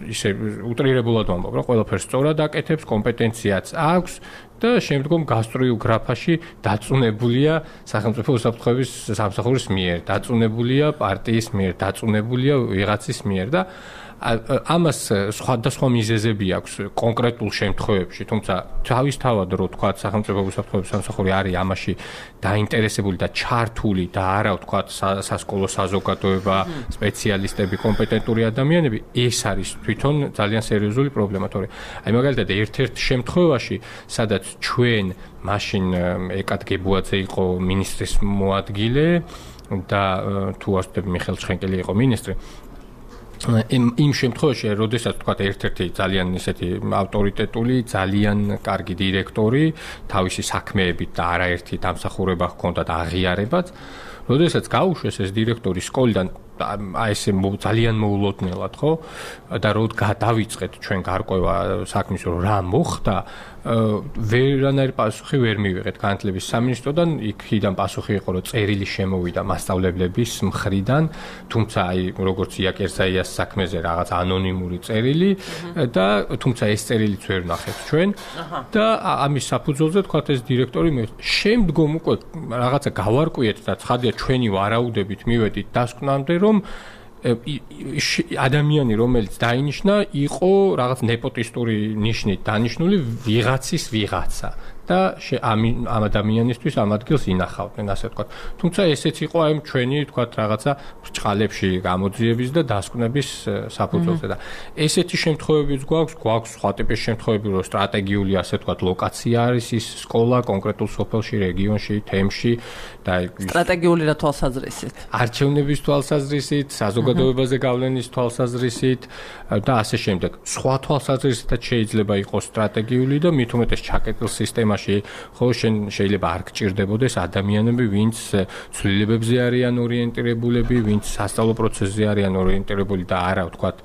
ისე უტრირებულად ვამბობ რომ ყველაფერს სწორად აკეთებს, კომპეტენციაც აქვს და შემდგომ გასტრიოგრაფაში დაწუნებულია სახელმწიფო უსაფრთხოების სამსახურის მიერ, დაწუნებულია პარტიის მიერ, დაწუნებულია ვიღაცის მიერ და ამას სხვადასხვა მიზეზები აქვს კონკრეტულ შემთხვევებში, თუმცა თავისთავად რო თქვა სახელმწიფო უსაფრთხოების სამსახური არის ამაში დაინტერესებული და ჩართული და არა თქვა სასკოლო საზოგადოება, სპეციალისტები, კომპეტენტური ადამიანები, ეს არის თვითონ ძალიან სერიოზული პრობლემა, თორე აი მაგალითად ერთ-ერთ შემთხვევაში, სადაც ჩვენ მაშინ ეკად გებუაძე იყო მინისტრის მოადგილე და თუ არ ვცდები მიხეილ ჩხენკელი იყო მინისტრი იმ შემთხვევაში, როდესაც თქვა ერთ-ერთი ძალიან ისეთი ავტორიტეტული, ძალიან კარგი დირექტორი, თავისი საქმეებით და არაერთი დამსახურება ჰქონდა და აღიარებაც, როდესაც გაუშვეს ეს დირექტორი სკოლიდან აი ესე ძალიან მოულოდნელად, ხო? და რო დავიწყეთ ჩვენ გარკვევა საქმის რომ რა მოხდა, ვერანაირი პასუხი ვერ მივიღეთ განათლების სამინისტროდან, იქიდან პასუხი იყო რომ წერილი შემოვიდა მასწავლებლების მხრიდან, თუმცა აი როგორც იაკერზაიას საქმეზე რაღაც ანონიმური წერილი და თუმცა ეს წერილიც ვერ ვნახეთ ჩვენ და ამის საფუძველზე თქვა ეს დირექტორი შემდგომ უკვე რაღაცა გავარკვიეთ და ცხადია ჩვენი ვარაუდებით მივედით დასკვნამდე რომ ადამიანი რომელიც დაინიშნა იყო რაღაც ნეპოტისტური ნიშნით დანიშნული ვიღაცის ვიღაცა და ამ ადამიანისთვის ამ ადგილს ინახავდნენ, ასე ვთქვათ. თუმცა ესეც იყო აი ჩვენი ვთქვათ რაღაცა ბრჭყალებში გამოძიების და დასკვნების საფუძველზე და ესეთი შემთხვევებიც გვაქვს სხვა ტიპის შემთხვევები, რომ სტრატეგიული ასე ვთქვათ ლოკაცია არის ის სკოლა კონკრეტულ სოფელში, რეგიონში, თემში და სტრატეგიული რა თვალსაზრისით? არჩევნების თვალსაზრისით, საზოგადოებაზე გავლენის თვალსაზრისით და ასე შემდეგ. სხვა თვალსაზრისითაც შეიძლება იყოს სტრატეგიული და მით უმეტეს ჩაკეტილ სისტემაში ხო შეიძლება არ გჭირდებოდეს ადამიანები, ვინც ცვლილებებზე არიან ორიენტირებულები, ვინც სასწავლო პროცესზე არიან ორიენტირებული და არა ვთქვათ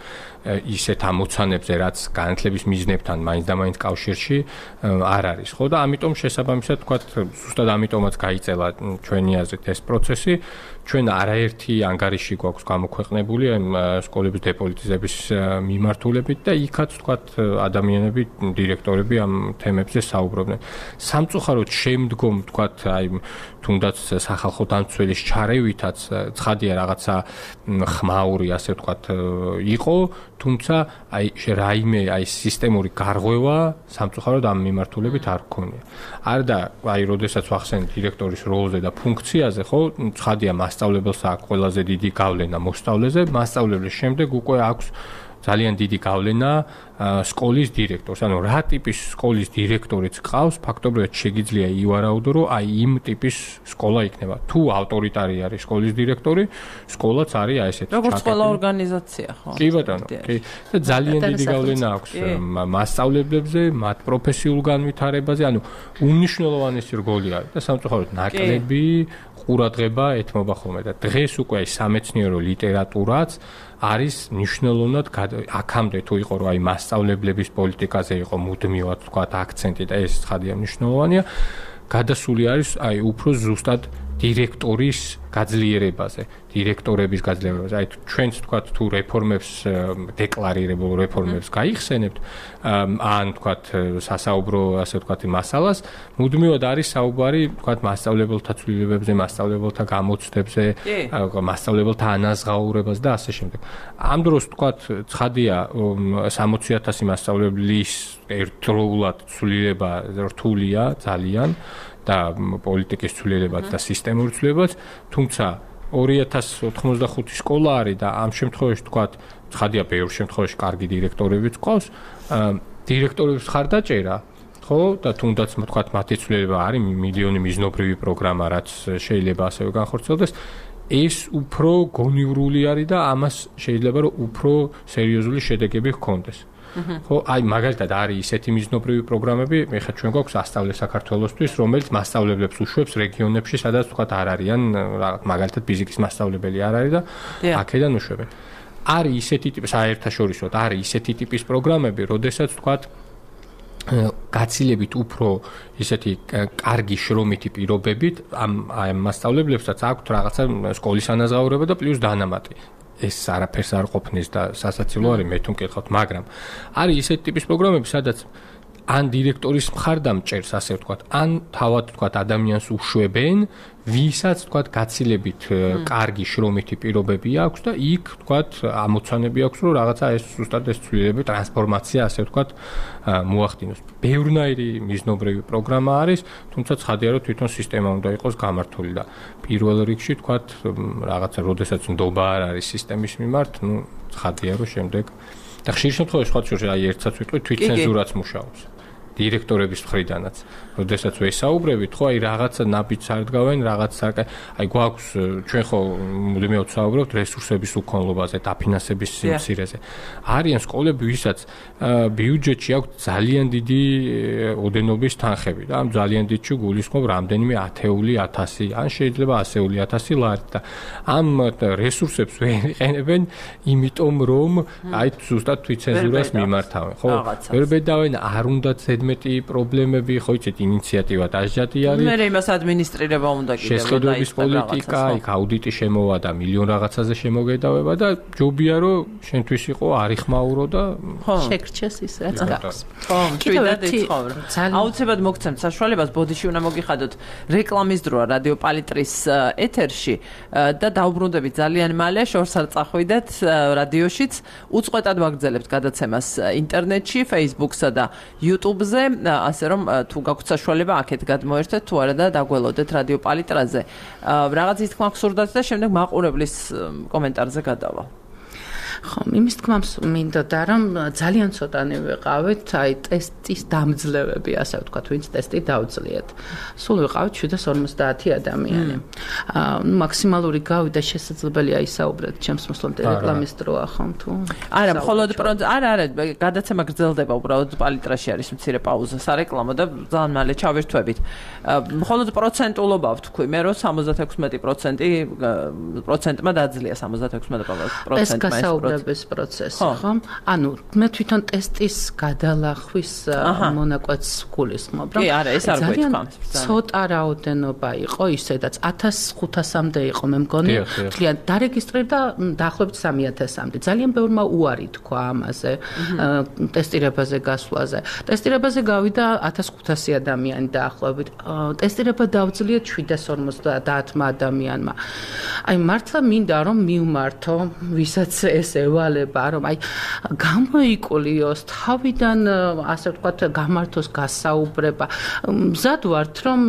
ისეთ ამოცანებზე, რაც განათლების მიზნებთან მაინც და მაინც კავშირში არ არის. ხო და ამიტომ შესაბამისად ვთქვათ, ზუსტად ამიტომაც გაიწელა ჩვენი აზრით ეს პროცესი. ჩვენ არაერთი ანგარიში გვაქვს გამოქვეყნებული ამ სკოლების დეპოლიტიზების მიმართულებით და იქაც ვთქვათ ადამიანები, დირექტორები ამ თემებზე საუბრობდნენ. სამწუხაროდ შემდგომ ვთქვათ აი თუნდაც სახალხო დამცველის ჩარევითაც ცხადია რაღაცა ხმაური ასე ვთქვათ იყო, თუმცა აი რაიმე აი სისტემური გარღვევა სამწუხაროდ ამ მიმართულებით არ გქონია. არდა აი როდესაც ვახსენე დირექტორის როლზე და ფუნქციაზე, ხო, ცხადია მასწავლებელს აქვს ყველაზე დიდი გავლენა მოსწავლეზე, მასწავლებლის შემდეგ უკვე აქვს ძალიან დიდი გავლენა სკოლის დირექტორს. ანუ რა ტიპის სკოლის დირექტორიც ყავს, ფაქტობრივად შეგიძლია ივარაუდო, რომ აი იმ ტიპის სკოლა იქნება. თუ ავტორიტარი არის სკოლის დირექტორი, სკოლაც არის აი ესეთი. როგორც ყველა ორგანიზაცია, ხო? კი ბატონო, კი. და ძალიან დიდი გავლენა აქვს მასწავლებლებზე, მათ პროფესიულ განვითარებაზე, ანუ უმნიშვნელოვანესი როლი არის და სამწუხაროდ ნაკლები ყურადღება ეთმობა ხოლმე და დღეს უკვე აი სამეცნიერო ლიტერატურაც არის მნიშვნელოვნად აქამდე თუ იყო რომ აი მასწავლებლების პოლიტიკაზე იყო მუდმივად თქვა აქცენტი და ეს ცხადია მნიშვნელოვანია გადასული არის აი უფრო ზუსტად დირექტორის გაძლიერებაზე, დირექტორების გაძლიერებაზე. აი ჩვენც თქვათ თუ რეფორმებს დეკლარირებულ რეფორმებს გაიხსენებთ, ან თქვათ სასაუბრო ასე თქვათ მასალას, მუდმივად არის საუბარი თქვათ მასწავლებელთა ცვლილებებზე, მასწავლებელთა გამოცდებზე, მასწავლებელთა ანაზღაურებას და ასე შემდეგ. ამ დროს თქვათ ცხადია 60,000 მასწავლებლის ერთდროულად ცვლილება რთულია ძალიან. და პოლიტიკის ცვლილებაც და სისტემური ცვლილებაც, თუმცა 2095 სკოლა არის და ამ შემთხვევაში თქვათ, ცხადია ბევრ შემთხვევაში კარგი დირექტორებიც ყავს, დირექტორების ხარდაჭერა, ხო, და თუნდაც თქვათ მათი ცვლილება არის მილიონი მიზნობრივი პროგრამა, რაც შეიძლება ასევე განხორციელდეს, ეს უფრო გონივრული არის და ამას შეიძლება რომ უფრო სერიოზული შედეგები ჰქონდეს. ხო, აი მაგალითად არის ისეთი მიზნობრივი პროგრამები, ეხლა ჩვენ გვაქვს ასწავლე საქართველოსთვის, რომელიც მასწავლებლებს უშვებს რეგიონებში, სადაც თქვათ არ არიან, მაგალითად ფიზიკის მასწავლებელი არ არის და აქედან უშვებენ. არის ისეთი ტიპის საერთაშორისოდ არის ისეთი ტიპის პროგრამები, როდესაც თქვათ გაცილებით უფრო ისეთი კარგი შრომითი პირობებით ამ მასწავლებლებსაც აქვთ რაღაცა სკოლის ანაზღაურება და პლუს დანამატი. ეს არაფერს არ ყოფნის და სასაცილო არის მე თუ მკითხავთ, მაგრამ არის ისეთი ტიპის პროგრამები, სადაც ან დირექტორის მხარდამჭერს, ასე ვთქვათ, ან თავად ვთქვათ ადამიანს უშვებენ, ვისაც ვთქვათ გაცილებით კარგი შრომითი პირობები აქვს და იქ ვთქვათ ამოცანები აქვს, რომ რაღაცა ეს ზუსტად ეს ცვლილებები, ტრანსფორმაცია, ასე ვთქვათ, მოახდინოს. ბევრნაირი მიზნობრივი პროგრამა არის, თუმცა ცხადია, რომ თვითონ სისტემა უნდა იყოს გამართული და პირველ რიგში ვთქვათ რაღაცა, როდესაც ნდობა არ არის სისტემის მიმართ, ну, ცხადია, რომ შემდეგ და ხშირ შემთხვევაში სხვა შორს აი ერთსაც ვიტყვი თვითცენზურაც მუშაობს. დირექტორების მხრიდანაც. როდესაც ვესაუბრებით, ხო, აი რაღაცა ნაბიჯს არ დგავენ, რაღაც აი გვაქვს ჩვენ ხო მუდმივად ვსაუბრობთ რესურსების უქონლობაზე, დაფინანსების სიმცირეზე. არიან სკოლები, ვისაც ბიუჯეტში აქვს ძალიან დიდი ოდენობის თანხები და ამ ძალიან დიდში გულისხმობ რამდენიმე 10,000, ან შეიძლება 100,000 ლარი და ამ რესურსებს ვერ იყენებენ, იმიტომ რომ აი ზუსტად თვითცენზურას მიმართავენ, ხო? ვერ ბედავენ, არ უნდათ ზედმეტი პრობლემები, ხო იცით, ინიციატივა დაჟჯატი არის. მე იმას ადმინისტრირება უნდა კიდევ შესყიდვების პოლიტიკა, იქ აუდიტი შემოვა და მილიონ რაღაცაზე შემოგედავება და ჯობია რომ შენთვის იყო არიხმაურო და შეგრჩეს ის რაც გაქვს. ხო, თვითონ იცხოვრ. აუცილებლად მოგცემთ საშუალებას, ბოდიში უნდა მოგიხადოთ რეკლამის დროა რადიო პალიტრის ეთერში და დაუბრუნდებით ძალიან მალე, შორს არ წახვიდეთ რადიოშიც. უწყვეტად ვაგრძელებთ გადაცემას ინტერნეტში, Facebook-სა და YouTube-ზე. კანალზე, ასე რომ თუ გაქვთ საშუალება აქეთ გადმოერთეთ თუ არა და დაგველოდეთ რადიო პალიტრაზე. რაღაც ის თქმა გსურდათ და შემდეგ მაყურებლის კომენტარზე გადავალ. ხომ, იმის თქმას მინდოდა, რომ ძალიან ცოტანი ვიყავით, აი ტესტის დამძლევები, ასე ვთქვათ, ვინც ტესტი დაუძლიათ. სულ ვიყავით 750 ადამიანი. მაქსიმალური გავიდა შესაძლებელია ისაუბრეთ ჩემს მოსვლამდე რეკლამის დროა ხომ თუ? არა, მხოლოდ არა, გადაცემა გრძელდება უბრალოდ პალიტრაში არის მცირე პაუზა სარეკლამო და ძალიან მალე ჩავერთვებით. მხოლოდ პროცენტულობა ვთქვი, მე რომ 76%-მა დაძლია 76%-მა ეს პროცესი, ხო? ანუ მე თვითონ ტესტის გადალახვის მონაკვეთს გულისხმობ, რომ ეს არ გვეთქვა. ცოტა რაოდენობა იყო ისედაც 1500-მდე იყო, მე მგონი, ძალიან დარეგისტრირდა დაახლოებით 3000-მდე. ძალიან ბევრმა უარი თქვა ამაზე, ტესტირებაზე გასვლაზე. ტესტირებაზე გავიდა 1500 ადამიანი დაახლოებით. ტესტირება დავძლია 750-მა ადამიანმა. აი მართლა მინდა რომ მივმართო, ვისაც ეს ევალება, რომ აი გამოიკულიოს თავიდან, ასე ვთქვათ, გამართოს გასაუბრება. მზად ვართ, რომ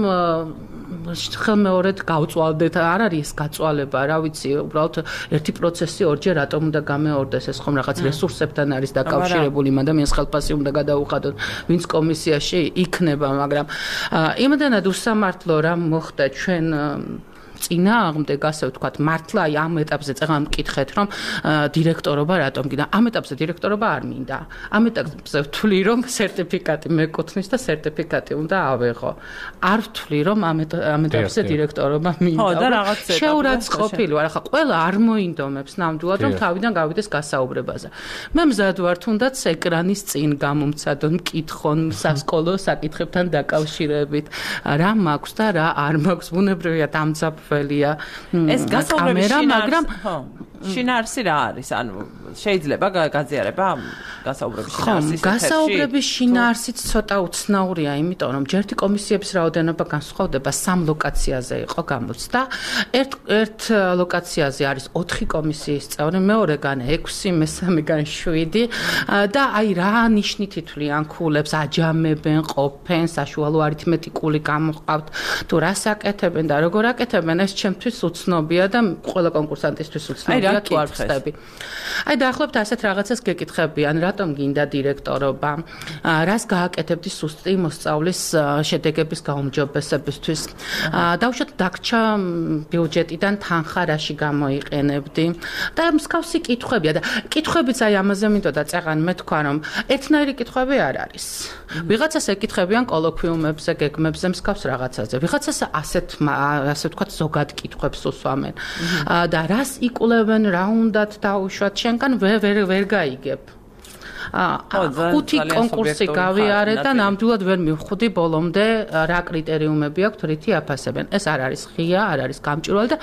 ხელმეორედ გავწვალდეთ, არ არის ეს გაწვალება, რა ვიცი, უბრალოდ ერთი პროცესი ორჯერ რატომ უნდა გამეორდეს, ეს ხომ რაღაც რესურსებთან არის დაკავშირებული, ადამიანს ხელფასი უნდა გადაუხადოს, ვინც კომისიაში იქნება, მაგრამ იმდანად უსამართლო რა მოხდა ჩვენ წინააღმდეგ, ასე ვთქვათ, მართლა აი ამ ეტაპზე წეღან მკითხეთ, რომ დირექტორობა რატომ გინდა? ამ ეტაპზე დირექტორობა არ მინდა. ამ ეტაპზე ვთვლი, რომ სერტიფიკატი მეკუთვნის და სერტიფიკატი უნდა ავეღო. არ ვთვლი, რომ ამ ეტაპზე დირექტორობა მინდა. ხო, და რაღაც შეურაც ყოფილი ვარ, ახლა ყველა არ მოინდომებს ნამდვილად, რომ თავიდან გავიდეს გასაუბრებაზე. მე მზად ვარ, თუნდაც ეკრანის წინ გამომცადონ, მკითხონ სასკოლო საკითხებთან დაკავშირებით, რა მაქვს და რა არ მაქვს, ბუნებრივია დამძაფრ ეს გასაუბრების შინაარსი რა არის? ანუ შეიძლება გაზიარება გასაუბრების შინაარსის ეთერში? გასაუბრების შინაარსიც ცოტა უცნაურია, იმიტომ რომ ჯერთი კომისიების რაოდენობა განსხვავდება 3 ლოკაციაზე იყო გამოცდა. ერთ ლოკაციაზე არის 4 კომისიის წევრი, მეორეგან 6, მესამეგან 7 და აი რა ნიშნით ითვლიან ქულებს, აჯამებენ, ყოფენ, საშუალო არითმეტიკული გამოყავთ, თუ რას აკეთებენ და როგორ აკეთებენ, ეს ჩემთვის უცნობია და ყველა კონკურსანტისთვის უცნობია. თუ არ ვხსნები. აი დაახლოებით ასეთ რაღაცას გეკითხებიან, რატომ გინდა დირექტორობა, რას გააკეთებდი სუსტი მოსწავლის შედეგების გაუმჯობესებისთვის. დავუშვათ დაგრჩა ბიუჯეტიდან თანხა რაში გამოიყენებდი და მსგავსი კითხვებია და კითხვებიც აი ამაზე მინდოდა წეღან მე თქვა რომ ერთნაირი კითხვები არ არის. ვიღაცას ეკითხებიან კოლოკვიუმებზე, გეგმებზე, მსგავს რაღაცაზე. ვიღაცას ასე ვთქვათ ზოგად კითხვებს უსვამენ. და რას იკულებენ, რა უნდათ დაუშვათ, შენგან ვერ გაიგებ. 5 კონკურსი გავიარე და ნამდვილად ვერ მივხვდი ბოლომდე რა კრიტერიუმები აქვს, რითი აფასებენ. ეს არ არის ღია, არ არის გამჭვირვალე და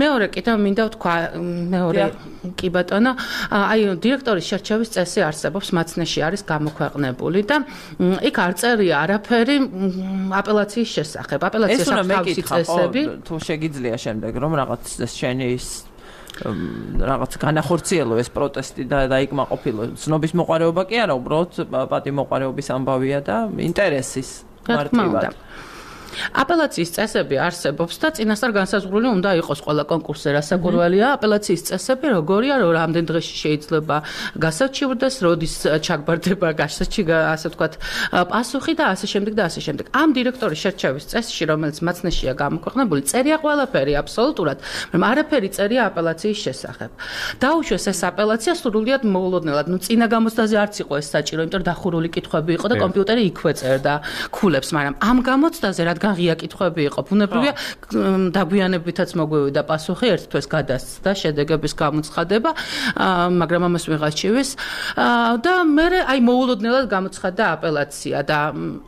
მეორე კიდევ მინდა ვთქვა, მეორე კი ბატონო, აი დირექტორის შერჩევის წესი არსებობს, მაცნეში არის გამოქვეყნებული და იქ არ წერია არაფერი აპელაციის შესახებ. აპელაციის თავისი წესები. თუ შეგიძლია შემდეგ რომ რაღაც შენი ის რაღაც განახორციელო ეს პროტესტი და დაიკმაყოფილო. ცნობის მოყარეობა კი არა, უბრალოდ პატიმოყარეობის ამბავია და ინტერესის მარტივად. აპელაციის წესები არსებობს და წინასწარ განსაზღვრული უნდა იყოს ყველა კონკურსზე რასაკურველია. აპელაციის წესები როგორია, რომ რამდენ დღეში შეიძლება გასაჩივრდეს, როდის ჩაგბარდება ასე ვთქვათ პასუხი და ასე შემდეგ და ასე შემდეგ. ამ დირექტორის შერჩევის წესში, რომელიც მაცნეშია გამოქვეყნებული, წერია ყველაფერი აბსოლუტურად, მაგრამ არაფერი წერია აპელაციის შესახებ. დაუშვეს ეს აპელაცია სრულიად მოულოდნელად. ნუ წინა გამოცდაზე არც იყო ეს საჭირო, იმიტომ რომ დახურული კითხვები იყო და კომპიუტერი იქვე წერდა ქულებს, მაგრამ ამ გამოცდაზე რადგან ღია კითხვები იყო, ბუნებრივია დაგვიანებითაც მოგვივიდა პასუხი, ერთ თვეს გადასცდა შედეგების გამოცხადება, მაგრამ ამას ვიღაც ჩივის და მე აი მოულოდნელად გამოცხადდა აპელაცია და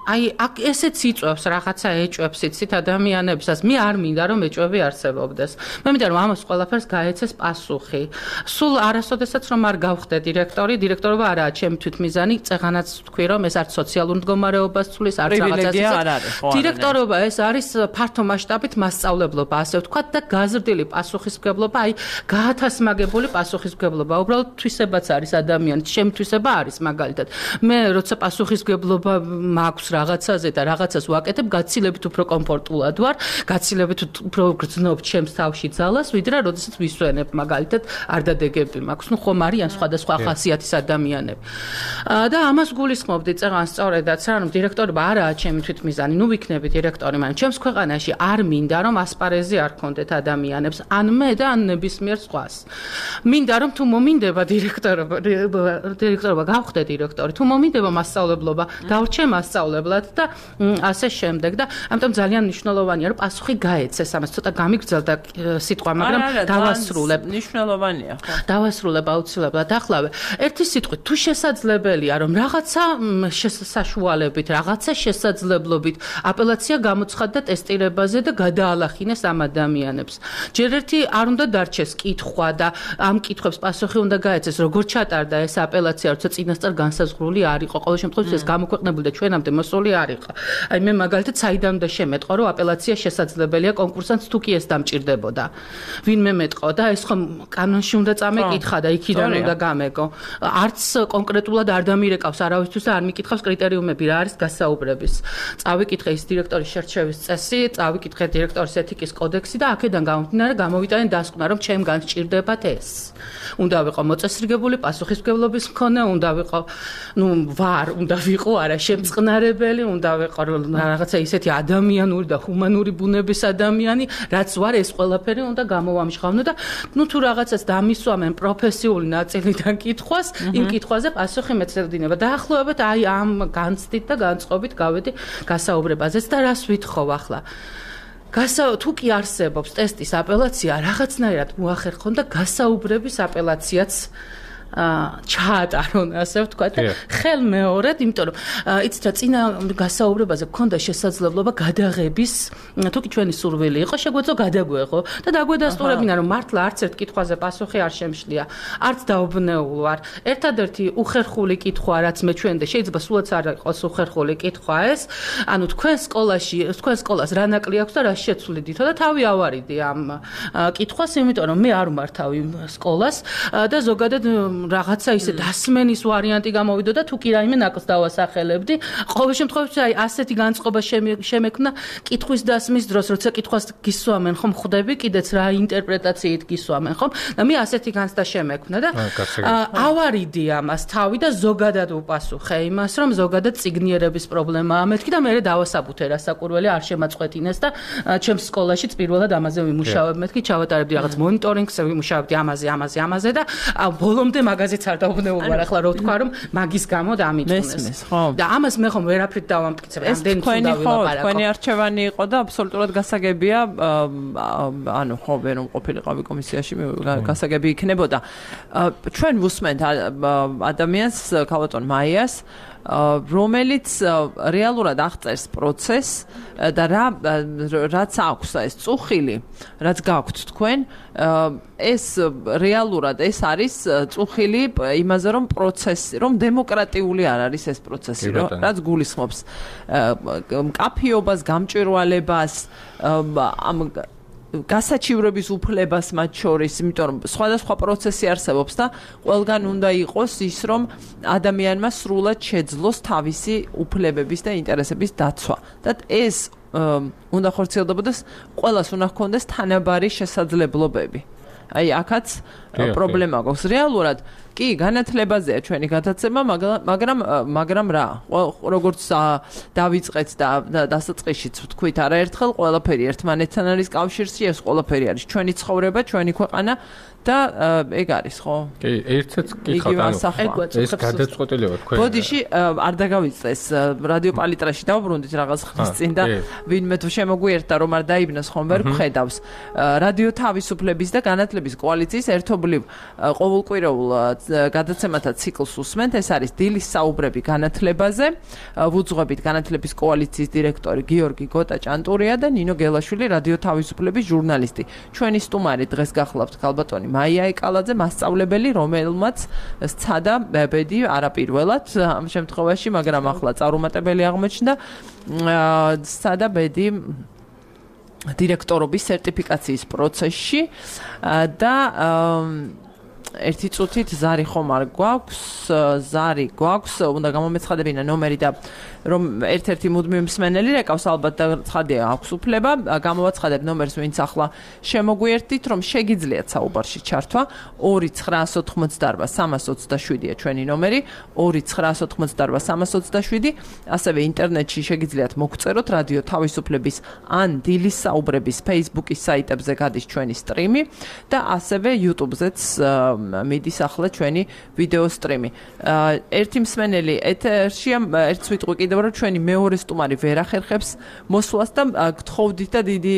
აი ესეც იწვევს რაღაცა ეჭვებს იცით ადამიანებსაც. მე არ მინდა რომ ეჭვები არსებობდეს. მე მინდა რომ ამას ყველაფერს გაეცეს პასუხი. სულ არასოდესაც რომ არ გავხდე დირექტორობა არაა ჩემი თვითმიზანი, წეღანაც ვთქვი რომ ეს არც სოციალურ მდგომარეობას ცვლის, არც რაღაცას. დირექტორ დირექტორობა ეს არის ფართო მასშტაბით მასწავლებლობა, ასე ვთქვათ და გაზრდილი პასუხისმგებლობა, აი გაათასმაგებული პასუხისმგებლობა. უბრალოდ თვისებაც არის ადამიანის, შემთვისება არის მაგალითად. მე როცა პასუხისმგებლობა მაქვს რაღაცაზე და რაღაცას ვაკეთებ, გაცილებით უფრო კომფორტულად ვარ, გაცილებით უფრო გრძნობ ჩემს თავში ძალას, ვიდრე როდესაც ვისვენებ მაგალითად არ დადეგები მაქვს. ნუ ხომ არიან სხვადასხვა ხასიათის ადამიანები. და ამას გულისხმობდი წეგან სწორედაც, რომ დირექტორობა არაა ჩემი თვითმიზანი, ნუ ვიქნები დირექტორი, მაგრამ ჩემს ქვეყანაში არ მინდა რომ ასპარეზი არ ქონდეთ ადამიანებს, ან მე და ან ნებისმიერ სხვას. მინდა რომ თუ მომინდება დირექტორობა გავხდე დირექტორი, თუ მომინდება მასწავლებლობა, დავრჩე მასწავლებლად და ასე შემდეგ და ამიტომ ძალიან მნიშვნელოვანია რომ პასუხი გაეცეს ამას, ცოტა გამიგრძელდა სიტყვა, მაგრამ დავასრულებ. მნიშვნელოვანია, ხო? დავასრულებ აუცილებლად. ახლავე ერთი სიტყვით თუ შესაძლებელია რომ რაღაცა საშუალებით, რაღაცა შესაძლებლობით აპელაცია გამოცხადდა ტესტირებაზე და გადაალახინეს ამ ადამიანებს. ჯერ ერთი არ უნდა დარჩეს კითხვა და ამ კითხვებს პასუხი უნდა გაეცეს, როგორ ჩატარდა ეს აპელაცია, როცა წინასწარ განსაზღვრული არ იყო. ყოველ შემთხვევაში ეს გამოქვეყნებული და ჩვენამდე მოსული არ იყო. აი მე მაგალითად საიდან უნდა შემეტყო, რომ აპელაცია შესაძლებელია კონკურსანტს თუ კი ეს დამჭირდებოდა. ვინმე მეტყო და ეს ხომ კანონში უნდა წამეკითხა და იქიდან უნდა გამეგო. არც კონკრეტულად არ დამირეკავს არავისთვის და არ მიკითხავს კრიტერიუმები რა არის გასაუბრების. წავიკითხე ის დირექტორის შერჩევის წესი, წავიკითხე დირექტორის ეთიკის კოდექსი და აქედან გამომდინარე გამოვიტანე დასკვნა, რომ ჩემგან სჭირდებათ ეს. უნდა ვიყო მოწესრიგებული პასუხისმგებლობის მქონე, უნდა ვიყო, უნდა ვიყო არა შემწყნარებელი, უნდა ვიყო რაღაცა ისეთი ადამიანური და ჰუმანური ბუნების ადამიანი, რაც ვარ, ეს ყველაფერი უნდა გამოვამჟღავნო და თუ რაღაცას დამისვამენ პროფესიული ნაწილიდან კითხვას, იმ კითხვაზე პასუხი მეცედინება. დაახლოებით აი ამ განცდით და განწყობით გავედი გასაუბრებაზეც და რას ვითხოვ ახლა. თუ კი არსებობს ტესტის აპელაცია, რაღაცნაირად მოახერხონ და გასაუბრების აპელაციაც ჩაატარონ, ასე ვთქვათ, ხელ მეორედ, იმიტომ რომ იცით რა წინა გასაუბრებაზე გქონდა შესაძლებლობა გადაღების, თუ კი ჩვენი სურვილი იყო, შეგვეძლო გადაგვეღო და დაგვედასტურებინა, რომ მართლა არც ერთ კითხვაზე პასუხი არ შემშლია, არც დაუბნეულ ვარ. ერთადერთი უხერხული კითხვა, რაც მე ჩვენ და შეიძლება სულაც არ იყოს უხერხული კითხვა ეს, ანუ თქვენ სკოლას რა ნაკლი აქვს და რა შეცვლიდითო და თავი ავარიდი ამ კითხვას, იმიტომ რომ მე არ ვმართავ იმ სკოლას და ზოგადად რაღაცა ისე დასმენის ვარიანტი გამოვიდო და თუ კი რაიმე ნაკლს დავასახელებდი. ყოველ შემთხვევაში აი ასეთი განწყობა შემექმნა კითხვის დასმის დროს, როცა კითხვას გისვამენ ხომ ხვდები კიდეც რა ინტერპრეტაციით გისვამენ ხომ და მე ასეთი განცდა შემექმნა და ავარიდი ამას თავი და ზოგადად უპასუხე იმას, რომ ზოგადად ციგნიერების პრობლემაა მეთქი და მე დავასაბუთე რასაკურველი არ შემაწყვეტინეს და ჩემს სკოლაშიც პირველად ამაზე ვიმუშავებ მეთქი, ჩავატარებდი რაღაც მონიტორინგს, ვიმუშავებდი ამაზე და ბოლომდე მაგაზეც არ დაუბნეულ ვარ ახლა რო თქვა რომ მაგის გამო დამიწუნეს. და ამას მე ხომ ვერაფრით დავამტკიცებ. ამდენი უნდა ვილაპარაკო. თქვენი არჩევანი იყო და აბსოლუტურად გასაგებია, ანუ ხო ვერ რომ ყოფილიყავი კომისიაში, გასაგები იქნებოდა. ჩვენ ვუსმენთ ადამიანს, ქალბატონ მაიას, რომელიც რეალურად აღწერს პროცესს და რაც აქვს ეს წუხილი, რაც გაქვთ თქვენ, ეს რეალურად ეს არის წუხილი იმაზე, რომ პროცესი, რომ დემოკრატიული არ არის ეს პროცესი, რაც გულისხმობს მკაფიობას, გამჭვირვალებას, ამ გასაჩივრების უფლებას მათ შორის, იმიტომ რომ სხვადასხვა პროცესი არსებობს და ყველგან უნდა იყოს ის, რომ ადამიანმა სრულად შეძლოს თავისი უფლებების და ინტერესების დაცვა. და ეს უნდა ხორციელდებოდეს, ყველას უნდა ჰქონდეს თანაბარი შესაძლებლობები. აი, აქაც პრობლემა გვაქვს. რეალურად კი, განათლებაზეა ჩვენი გადაცემა, მაგრამ რა, როგორც დავიწყეთ და დასაწყისშიც ვთქვით არაერთხელ, ყველაფერი ერთმანეთთან არის კავშირში, ეს ყველაფერი არის ჩვენი ცხოვრება, ჩვენი ქვეყანა და ეგ არის, ხო? კი, ერთსაც კითხავთ, ეს გადაწყვეტილება თქვენ. ბოდიში არ დაგავიწყდეს რადიო პალიტრაში დავბრუნდით რაღაც ხნის წინ და ვინმე თუ შემოგვიერთა რომ არ დაიბნოს ხომ ვერ ვხედავს. რადიო თავისუფლების და განათლების კოალიციის ერთობლივ ყოველკვირეულ გადაცემათა ციკლს უსმენთ. ეს არის დილის საუბრები განათლებაზე. ვუძღვებით განათლების კოალიციის დირექტორი გიორგი გოტა-ჭანტურია და ნინო გელაშვილი, რადიო თავისუფლების ჟურნალისტი. ჩვენი სტუმარი დღეს გახლავთ ქალბატონი მაია ეკალაძე, მასწავლებელი, რომელმაც სცადა ბედი არაპირველად ამ შემთხვევაში, მაგრამ ახლა წარუმატებელი აღმოჩნდა, სცადა ბედი დირექტორობის სერტიფიკაციის პროცესში და ერთი წუთით ზარი ხომ არ გვაქვს, უნდა გამომეცხადებინა ნომერი და რომ ერთ-ერთი მუდმივი მსმენელი რეკავს ალბათ და ცხადია აქვს უფლება, გამოვაცხადებ ნომერს, ვინც ახლა შემოგვიერთდით, რომ შეგიძლიათ საუბარში ჩართვა 2988327-ია ჩვენი ნომერი, 2988327, ასევე ინტერნეტში შეგიძლიათ მოგწეროთ რადიო თავისუფლების ან დილის საუბრების Facebook-ის საიტებზე გადის ჩვენი სტრიმი და ასევე YouTube-ზეც მიდის ახლა ჩვენი ვიდეო სტრიმი. ერთი მსმენელი ეთერშია, ერთს ვიტყვი კიდევ რომ ჩვენი მეორე სტუმარი ვერ ახერხებს მოსვლას და გთხოვდით და დიდი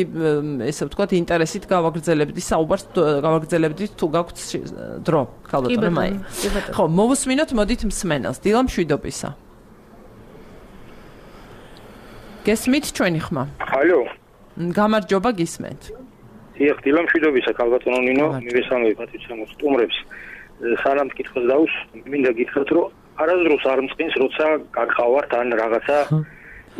ესე ვთქვათ ინტერესით გავაგრძელებდით საუბარს, გავაგრძელებდით თუ გაქვთ დრო, ქალბატონო მაი. ხო, მოვუსმინოთ, მოდით მსმენელს. დილა მშვიდობისა. გესმით ჩვენი ხმა? ალო. გამარჯობა, გისმენთ. დიახ, დილა მშვიდობისა, ქალბატონო ნინო, მივესალმები პატრიციამ სტუმრებს. სანამ კითხოს დაუს, მინდა გითხრათ, რომ არასდროს არ მწყინს, როცა გაგხავართ ან რაღაცა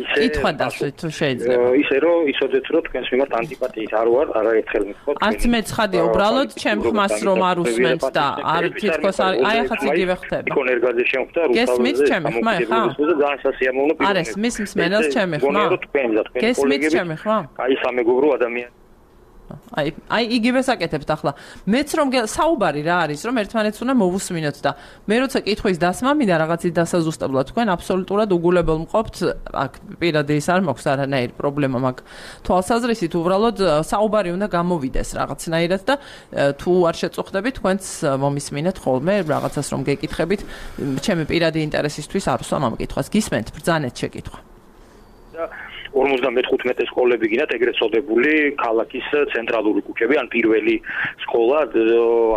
ისე კითხვა დასვით თუ შეიძლება. ისე რომ ისოდეთ რომ თქვენს მიმართ ანტიპათიით არ ვარ, არაერთხელ მითხოთ. არც მე ცხადია, უბრალოდ ჩემ ხმას რომ არ უსმენთ და არ თითქოს აი ახაც იგივე ხდება. იკონერგაზე შემხვდა რუსთავზე. გესმით ჩემი ხმა ხა? ძალიან სასიამოვნო პირი. არის მის მსმენელს ჩემი ხმა? გესმით ჩემი ხმა? აი სამეგობრო ადამიანი. აი იგივე საკეთებთ ახლა. მეც რომ საუბარი რა არის, რომ ერთმანეთს უნდა მოვუსმინოთ და მე როცა კითხვის დასმა მინდა რაღაცის დასაზუსტებლად თქვენ აბსოლუტურად უგულებელ მყოფთ, აქ პირადი ის არ მაქვს არანაირი პრობლემა მაგ თვალსაზრისით, უბრალოდ საუბარი უნდა გამოვიდეს რაღაცნაირად და თუ არ შეწუხდებით, თქვენც მომისმინეთ ხოლმე რაღაცას რომ გეკითხებით, ჩემი პირადი ინტერესისთვის არ ვსვამ ამ კითხვას. გისმენთ, ბრძანეთ შეკითხვა. 55 სკოლები გინდათ ეგრეთ წოდებული ქალაქის ცენტრალური ქუჩები ან პირველი სკოლა,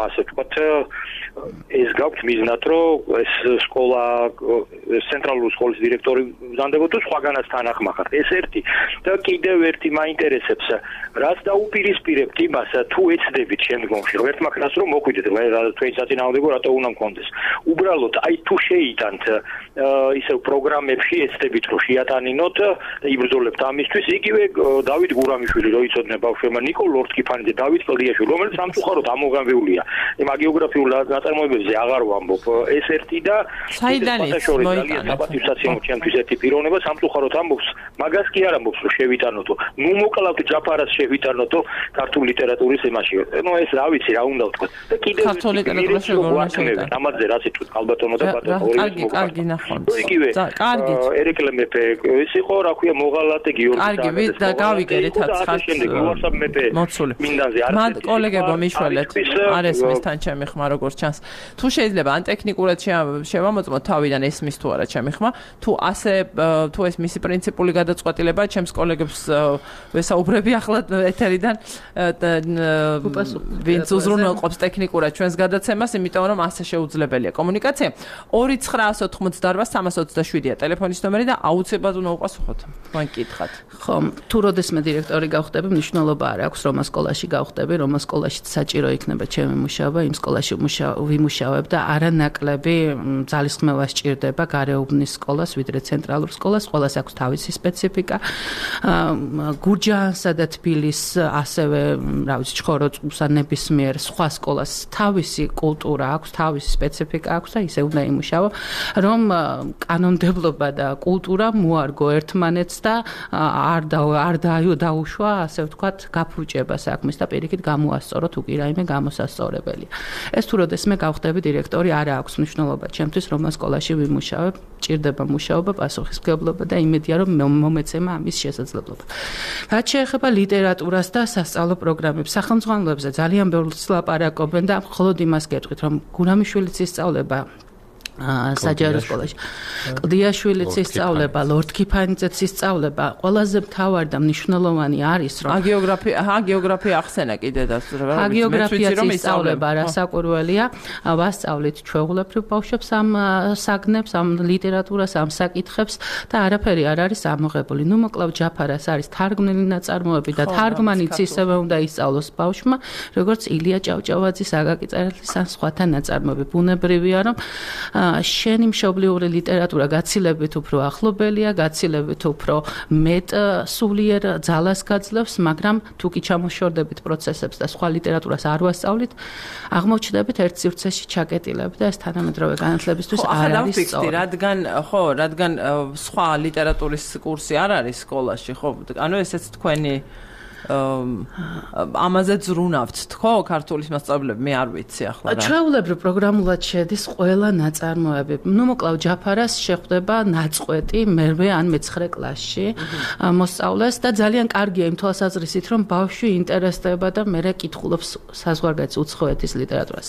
ასე ვთქვათ, ეს გაქვთ მიზნად, რომ ეს სკოლა ცენტრალური სკოლის დირექტორი ვზანდებოდა სხვაგანაც თანახმახართ. ეს ერთი და კიდევ ერთი მაინტერესებს, რაც დაუპირისპირებთ იმას, თუ ეცდებით შემდგომში, რომ ერთმა ხნას რომ მოხვიდეთ, თქვენი საწინააღმდეგო რატო უნდა მქონდეს. უბრალოდ აი თუ შეიტანთ ისევ პროგრამებში ეცდებით რომ შეატანინოთ და იბრძოლებთ ამისთვის, იგივე დავით გურამიშვილი რო იცოდნენ ბავშვებმა, ნიკოლ ლორთკიფანი და დავით კლდიაშვილი, რომელიც სამწუხაროდ ამოღამეულია. იმ გეოგრაფიულ ნაწარმოებებზე აღარ ვამბობ. ეს ერთი და საიდან ის მოიტანეთ? საპატივსაცემო ჩემთვის ერთი პიროვნება სამწუხაროდ ამბობს, მაგას კი არ ამბობს რომ შევიტანოთო. ნუ მოკლავთ ჯაფარას შევიტანოთო ქართული ლიტერატურის ემაში. ნუ ეს რა ვიცი, რა უნდა ვთქვა. და კიდევ ქართული ლიტერატურის შეგორნაშევიდან. ამაზე რა სიტყვით ალბათონო და ბატონო ორი კარგი ნახავთ. იგივე. კარგი. ერეკლე მეფე ის იყო, რა ქვია, მოღალატე გიორგი. კარგი, და გავიგერეთ აცხად. უარსაბ მეფე. მინდანზე არ. მან კოლეგებო მიშველეთ. არ ესმის თან ჩემი ხმა როგორ ჩანს. თუ შეიძლება ან ტექნიკურად შევამოწმოთ თავიდან ესმის თუ არა ჩემი ხმა, თუ ასე თუ ეს მისი პრინციპული გადაწყვეტილება ჩემს კოლეგებს ვესაუბრები ახლა ეთერიდან ვინც უზრუნველყოფს ტექნიკურად ჩვენს გადაცემას, იმიტომ რომ ასე შეუძლებელია კომუნიკაცია. 2988327-ია ტელეფონის ნომერი და აუცილებლად უნდა უპასუხოთ. თქვენ კითხათ. ხო, თუ როდესმე დირექტორი გავხდები, მნიშვნელობა არ აქვს, რომ სკოლაში გავხდები, რომ სკოლაში საჭირო იქნება ჩემი მუშაობა, იმ სკოლაში ვიმუშავებ და არანაკლები ძალისხმევა სჭირდება გარეუბნის სკოლას, ვიდრე ცენტრალურ სკოლას. სკოლას აქვს თავისი სპეციფიკა. გურჯაანსა და თბილის, ასევე, რა ვიცი, ჩხოროწყუს ან ნებისმიერ სხვა სკოლას თავისი კულტურა აქვს, თავისი სპეციფიკა აქვს და ისე უნდა იმუშაო, რომ კანონმდებლობა და კულტურა მოარგო ერთმანეთს და არ დაუშვა, ასე ვთქვათ, გაფუჭება საქმის და პირიქით გამოასწორო თუ კი რაიმე გამოსასწორებელია. ეს თუ როდესმე გავხდები დირექტორი, არა აქვს მნიშვნელობა ჩემთვის, რომ სკოლაში ვიმუშავებ, ჭირდება მუშაობა, პასუხისმგებლობა და იმედია, რომ მომეცემა ამის შესაძლებლობა. რაც შეეხება ლიტერატურას და სასწავლო პროგრამებს, სახელმძღვანელოებზე ძალიან ბევრს ლაპარაკობენ და მხოლოდ იმას გეტყვით, რომ გურამიშვილის ისწავლება საჯარო სკოლაში. კლდიაშვილიც ისწავლება, ლორდ ქიფანიძეც ისწავლება. ყველაზე მთავარი და მნიშვნელოვანი არის, რომ გეოგრაფია ახსენა კიდედაც, რა გეოგრაფიაც ისწავლება, რასაკვირველია, ვასწავლით ჩვეულებრივ ბავშვებს ამ საგნებს, ამ ლიტერატურას, ამ საკითხებს და არაფერი არ არის ამოღებული. ნუ მოკლავ ჯაფარას არის თარგმნილი ნაწარმოები და თარგმანიც ისევე უნდა ისწავლოს ბავშვმა, როგორც ილია ჭავჭავაძის, აკაკი წერეთლის ან სხვათა ნაწარმოები. ბუნებრივია, რომ შენი მშობლიური ლიტერატურა გაცილებით უფრო ახლობელია, გაცილებით უფრო მეტ სულიერ ძალას გაძლევს, მაგრამ თუ კი ჩამოშორდებით პროცესებს და სხვა ლიტერატურას არ ვასწავლით, აღმოჩნდებით ერთ სივრცეში ჩაკეტილები და ეს თანამედროვე განათლებისთვის არ არის სწორი. რადგან სხვა ლიტერატურის კურსი არ არის სკოლაში, ხო? ანუ ესეც თქვენი ამაზე ზრუნავთ თქო ქართულის მასწავლებლები მე არ ვიცი ახლა რა ჩვეულებრივ პროგრამულად შედის ყველა ნაწარმოები ნუ მოკლავ ჯაფარას შეხვდება ნაწყვეტი მერვე ან მეცხრე კლასში მოსწავლეს და ძალიან კარგია იმ თვალსაზრისით რომ ბავშვი ინტერესდება და მე კითხულობს საზღვარგარეთ უცხოეთის ლიტერატურას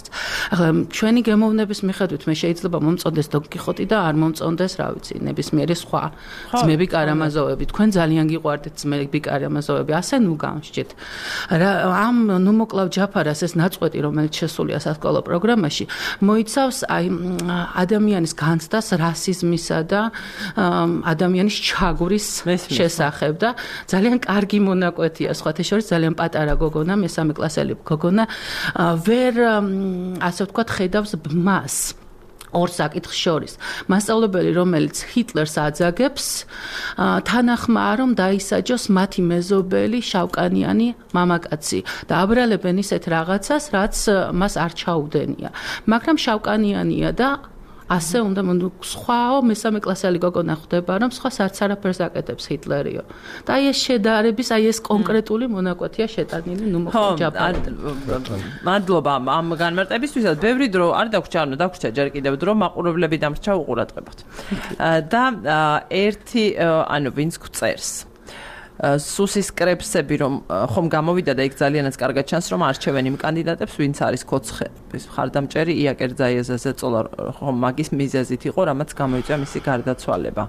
ახლა ჩვენი გემოვნების მიხედვით მე შეიძლება მომწონდეს დონ კიხოტი და არ მომწონდეს რა ვიცი ნებისმიერი სხვა ძმები კარამაზოვები თქვენ ძალიან გიყვარდით ძმები კარამაზოვები ასე ნუ გამსჭით. ამ ნუ მოკლავ ჯაფარას ეს ნაწყვეტი, რომელიც შესულია სასკოლო პროგრამაში, მოიცავს აი ადამიანის განცდას რასიზმისა და ადამიანის ჩაგვრის შესახებ და ძალიან კარგი მონაკვეთია, სხვათა შორის ძალიან პატარა გოგონა, მესამე კლასელი გოგონა, ვერ ასე ვთქვათ, ხედავს ბმას. ორ საკითხს შორის. მასწავლებელი, რომელიც ჰიტლერს აძაგებს, თანახმაა, რომ დაისაჯოს მათი მეზობელი შავკანიანი მამაკაცი და აბრალებენ ისეთ რაღაცას, რაც მას არ ჩაუდენია. მაგრამ შავკანიანია და ასე უნდა სხვაო მესამე კლასელი გოგონა ხვდება, რომ სხვას არც არაფერს აკეთებს ჰიტლერიო. და აი ეს შედარების, აი ეს კონკრეტული მონაკვეთია შეტანილი ნუ მოხდა. მადლობა ამ განმარტებისთვისაც. ბევრი დრო არ დაგვრჩა ჯერ კიდევ დრო მაყურებლები დამრჩა უყურადღებოთ. და ერთი ანუ ვინც გვწერს სუსის კრებსები რომ ხომ გამოვიდა და იქ ძალიანაც კარგად ჩანს რომ არჩევენ იმ კანდიდატებს ვინც არის კოცხების მხარდამჭერი იაკერძაიეზაზე წოლა ხომ მაგის მიზეზით იყო რამაც გამოიწვია მისი გარდაცვალება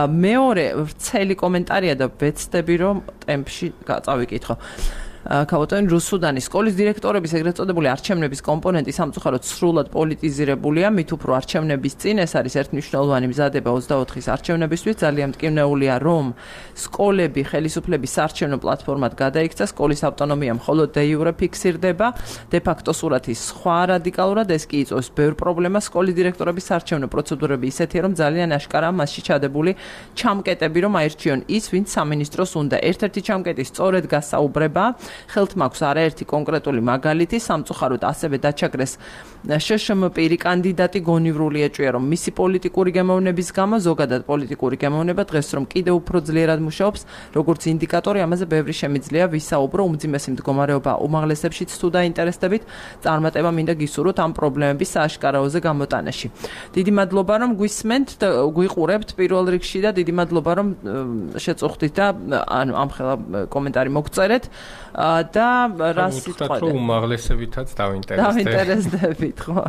მეორე ვრცელი კომენტარია და ვეცდები რომ ტემპში წავიკითხო ქავოტენ რუსუდანის სკოლის დირექტორების ეგრეთ წოდებული არჩევნების კომპონენტი სამწუხაროდ სრულად პოლიტიზირებულია, მით უფრო არჩევნების წინ ეს არის ერთმნიშვნელოვანი მზადება 24-ის არჩევნებისთვის, ძალიან მტკივნეულია, რომ სკოლები ხელისუფლების საარჩევნო პლატფორმად გადაიქცა, სკოლის ავტონომია მხოლოდ დე იურე ფიქსირდება, დე ფაქტო სურათი სხვა რადიკალურად ეს კი იწვევს ბევრ პრობლემას სკოლის დირექტორების საარჩევნო პროცედურები ისეთია, რომ ძალიან აშკარაა მასში ჩადებული ჩამკეტები, რომ აირჩიონ ის, ვინც სამინისტროს უნდა. ერთ-ერთი ჩამკეტი სწორედ გასაუბრება ხელთ მაქვს არაერთი კონკრეტული მაგალითი სამწუხაროდ ასევე დაჩაგრეს შშმ პირი კანდიდატი გონივრული ეჭვია რომ მისი პოლიტიკური გემოვნების გამო ზოგადად პოლიტიკური გემოვნება დღეს რომ კიდევ უფრო ძლიერად მუშაობს როგორც ინდიკატორი ამაზე ბევრი შემიძლია ვისაუბრო უმძიმესი მდგომარეობა უმაღლესებშიც თუ დაინტერესდებით წარმატება მინდა გისურვოთ ამ პრობლემების სააშკარაოზე გამოტანაში დიდი მადლობა რომ გვისმენთ და გვიყურებთ პირველ რიგში და დიდი მადლობა რომ შეწუხდით და ანუ ამ ხელა კომენტარი მოგწერეთ და რას იტყვით რომ უმაღლესებითაც დავინტერესდებით ხო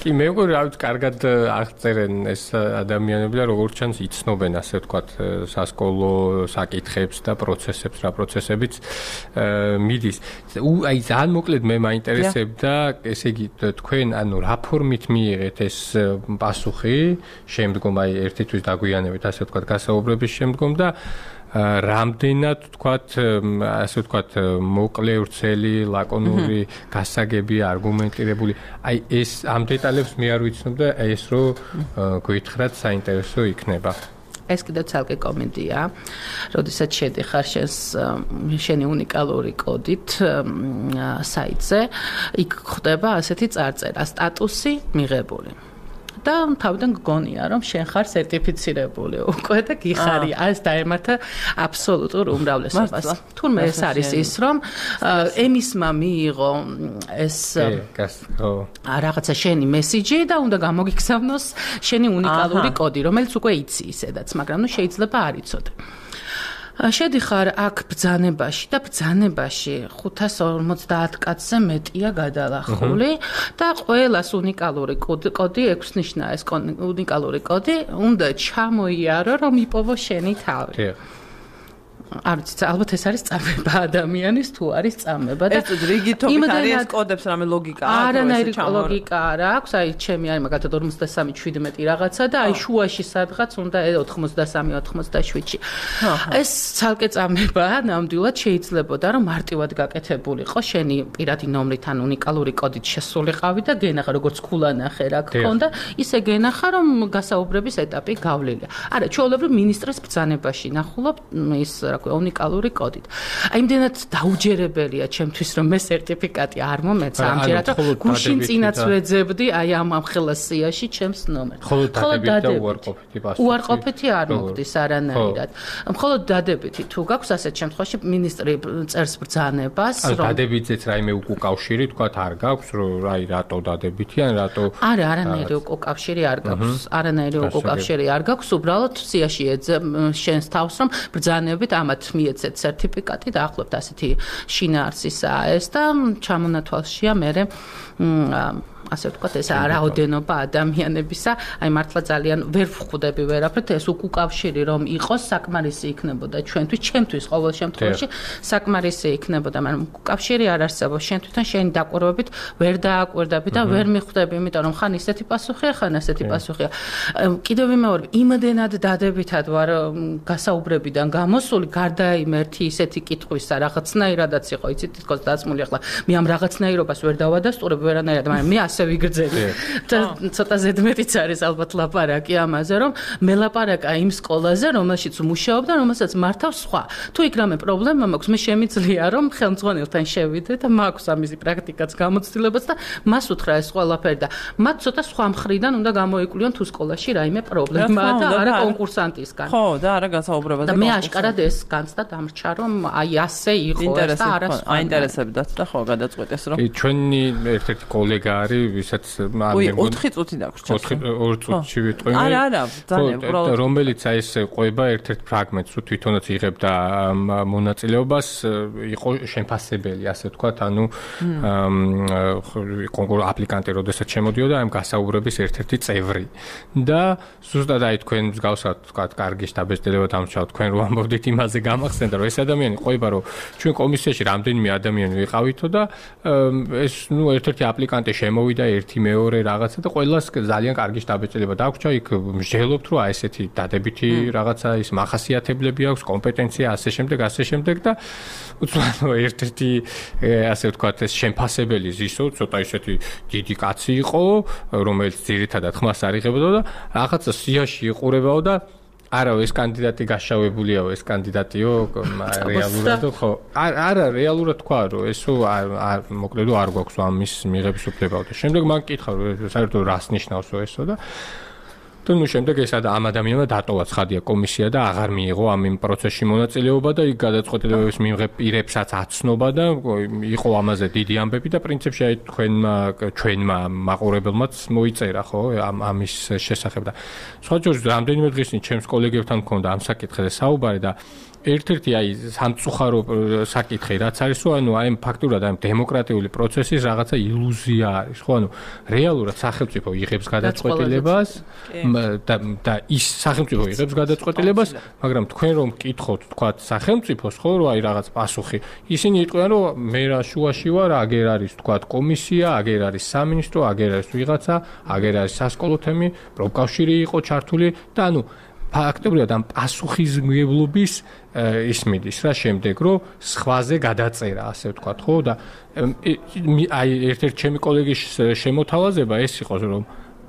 კი მე მგონი რა ვიცი კარგად აღწერენ ეს ადამიანები და როგორც ჩანს იცნობენ ასე ვთქვათ სასკოლო საკითხებს და პროცესებს რა პროცესებიც მიდის აი ძალიან მოკლედ მე მაინტერესებდა ესე იგი თქვენ ანუ რა ფორმით მიიღეთ ეს პასუხი შემდგომ აი ერთი თვის დაგვიანებით ასე ვთქვათ გასაუბრების შემდგომ და რამდენად თქვათ ასე ვთქვათ მოკლე ვრცელი ლაკონური გასაგები არგუმენტირებული აი ეს ამ დეტალებს მე არ ვიცნობ და ეს რო გითხრათ საინტერესო იქნება ეს კიდევ ცალკე კომენტია როდესაც შედიხარ შენი უნიკალური კოდით საიტზე იქ ხდება ასეთი წარწერა სტატუსი მიღებული და თავიდან გგონია რომ შენ ხარ სერტიფიცირებული უკვე და გიხარი ეს დაემართა აბსოლუტურ უმრავლესობას თურმე ეს არის ის რომ ემისმა მიიღო ეს რაღაცა შენი მესიჯი და უნდა გამოგიგზავნოს შენი უნიკალური კოდი რომელიც უკვე იცი ისედაც მაგრამ ნუ შეიძლება არ იცოდე შედიხარ აქ ბრძანებაში და ბრძანებაში 550 კაცზე მეტია გადალახული და ყველას უნიკალური კოდი 6 ნიშნა ეს უნიკალური კოდი უნდა ჩამოიარო რომ იპოვო შენი თავი. არ ვიცი, ალბათ ეს არის წამება ადამიანის თუ არის წამება და ეს რიგითობით არის ეს კოდებს რამე ლოგიკა აქვს? არანაირი ლოგიკა არ აქვს, აი ჩემი არის მაგათად 53-17 რაღაცა და აი შუაში სადღაც უნდა 83-87-ში. ეს ცალკე წამებაა, ნამდვილად შეიძლებოდა რომ მარტივად გაკეთებულიყო შენი პირადი ნომრით ან უნიკალური კოდით შესულიყავი და გენახა როგორც ქულანახე რა გქონდა, ისე გენახა რომ გასაუბრების ეტაპი გავლილია. არა, ჩვეულებრივ ministres ბრძანებაში ნახულობ ის უნიკალური კოდით. აი იმდენად დაუჯერებელია ჩემთვის რომ მე სერტიფიკატი არ მომეცა ამჯერად რომ გუშინ წინაც ვეძებდი აი ამ ხელას სიაში ჩემს ნომერს. ხოლო დადებითი უარყოფითი არ მოგდის არანაირად. მხოლოდ დადებითი თუ გაქვს ასეთ შემთხვევაში მინისტრი წერს ბრძანებას რომ დადებითიც რაიმე უკავშირი თქვა არ გაქვს რომ აი რატო დადებითი ან რატო არანაირი უკავშირი არ გაქვს. არანაირი უკავშირი არ გაქვს. უბრალოდ სიაში ეძებ შენს თავს რომ ბრძანებით ამათ მიეცეთ სერტიფიკატი და ახლობთ ასეთი შინაარსისაა ეს და ჩამონათვალშია მე ასე ვთქვათ ეს რაოდენობა ადამიანებისა აი მართლა ძალიან ვერ ვხვდები ვერაფრით ეს უკავშირი რომ იყოს საკმარისი იქნებოდა ჩემთვის ყოველ შემთხვევაში საკმარისი იქნებოდა მაგრამ უკავშირი არ არსებობს შენ თვითონ შენი დაკვირვებით ვერ დააკვირდები და ვერ მიხვდები იმიტომ რომ ხან ისეთი პასუხია ხან ასეთი პასუხია კიდევ ვიმეორებ იმდენად დადებითად ვარ გასაუბრებიდან გამოსული გარდა იმ ერთი ისეთი კითხვისა რაღაცნაირადაც იყო იცით თქოს დაწმული ახლა მე ამ რაღაცნაირობას ვერ დავადასტურებ ვერანაირად მაგრამ მე ასე ვიგრძელი და ცოტა ზედმეტიც არის ალბათ ლაპარაკი ამაზე რომ მე ლაპარაკა იმ სკოლაზე რომელშიც მუშაობ და რომელსაც მართავს სხვა თუ იქ რამე პრობლემა მაქვს მე შემიძლია რომ ხელმძღვანელთან შევიდე და მაქვს ამისი პრაქტიკაც გამოცდილებაც და მას უთხრა ეს ყველაფერი და მათ ცოტა სხვა მხრიდან უნდა გამოიკვლიონ თუ სკოლაში რაიმე პრობლემაა და არა კონკურსანტისგან ხო და არა გასაუბრებაზე და მე აშკარად ეს განცდა დამრჩა რომ აი ასე იყო ეს და არა სხვა აინტერესებდათ და ხო გადაწყვეტეს რომ ჩვენი ერთ-ერთი კოლეგა არის ვისაც უი 4 წუთი დაგვრჩა 2 წუთში ვიტყვი არა ძალიან უბრალოდ რომელიც აი ეს ყვება ერთ-ერთ ფრაგმენტს თუ თვითონაც იღებდა მონაწილეობას იყო შეფასებელი ასე ვთქვათ ანუ კონკურს აპლიკანტი როდესაც შემოდიოდა ამ გასაუბრების ერთ-ერთი წევრი და ზუსტად აი თქვენ მსგავსად ვთქვათ კარგი შტაბ-ეჭდილება დამრჩავთ თქვენ რო ამბობდით იმაზე გამახსენდა რომ ეს ადამიანი ყვება რომ ჩვენ კომისიაში რამდენიმე ადამიანი ვიყავითო და ეს ნუ ერთ-ერთი აპლიკანტი შემოვიდა ერთი მეორე რაღაცა და ყველას ძალიან კარგი შტაბ-ეჭდილება დაგვჭა იქ მსჯელობთ რომ აი ესეთი დადებითი რაღაცა ის მახასიათებლები აქვს კომპეტენცია ასე შემდეგ და უცბად ერთ-ერთი ასე ვთქვათ ეს შემფასებელი ზისო ცოტა ისეთი დიდი კაცი იყო რომელიც ძირითადად ხმას არ იღებდა და რაღაცა სიაში იყურებაო და არა ეს კანდიდატი გაშავებულიაო ეს კანდიდატიო რეალურად ხო არა რეალურად თქვა რომ ესო მოკლედ არ გვაქვს ამის მიღების უფლებაო და შემდეგ მან კითხა რომ საერთოდ რას ნიშნავსო ესო და თუნ შემდეგ ეს ამ ადამიანმა დატოვა ცხადია კომისია და აღარ მიიღო ამ პროცესში მონაწილეობა და იქ გადაწყვეტილებების მიღებ პირებსაც აცნობა და იყო ამაზე დიდი ამბები და პრინციპში აი ჩვენმა მაყურებელმაც მოიწერა ხო ამის შესახებ და სხვა ჯერ რამდენიმე დღის წინ ჩემს კოლეგებთან მქონდა ამ საკითხზე საუბარი და ერთ-ერთი აი სამწუხარო საკითხი რაც არის ხო ანუ აი ფაქტურად აი დემოკრატიული პროცესის რაღაცა ილუზია არის ხო ანუ რეალურად სახელმწიფო იღებს გადაწყვეტილებას და ის სახელმწიფო იღებს გადაწყვეტილებას მაგრამ თქვენ რომ მკითხოთ თქვათ სახელმწიფოს ხო რომ აი რაღაც პასუხი ისინი იტყვიან რომ მე რა შუაში ვარ აგერ არის თქვათ კომისია აგერ არის სამინისტრო აგერ არის ვიღაცა აგერ არის სასკოლო თემი პროფკავშირი იყო ჩართული და ანუ ფაქტობრივად ამ პასუხისმგებლობის ის მიდის რა შემდეგ რომ სხვაზე გადაწერა ასე ვთქვათ ხო და აი ერთ-ერთი ჩემი კოლეგის შემოთავაზება ეს იყო რომ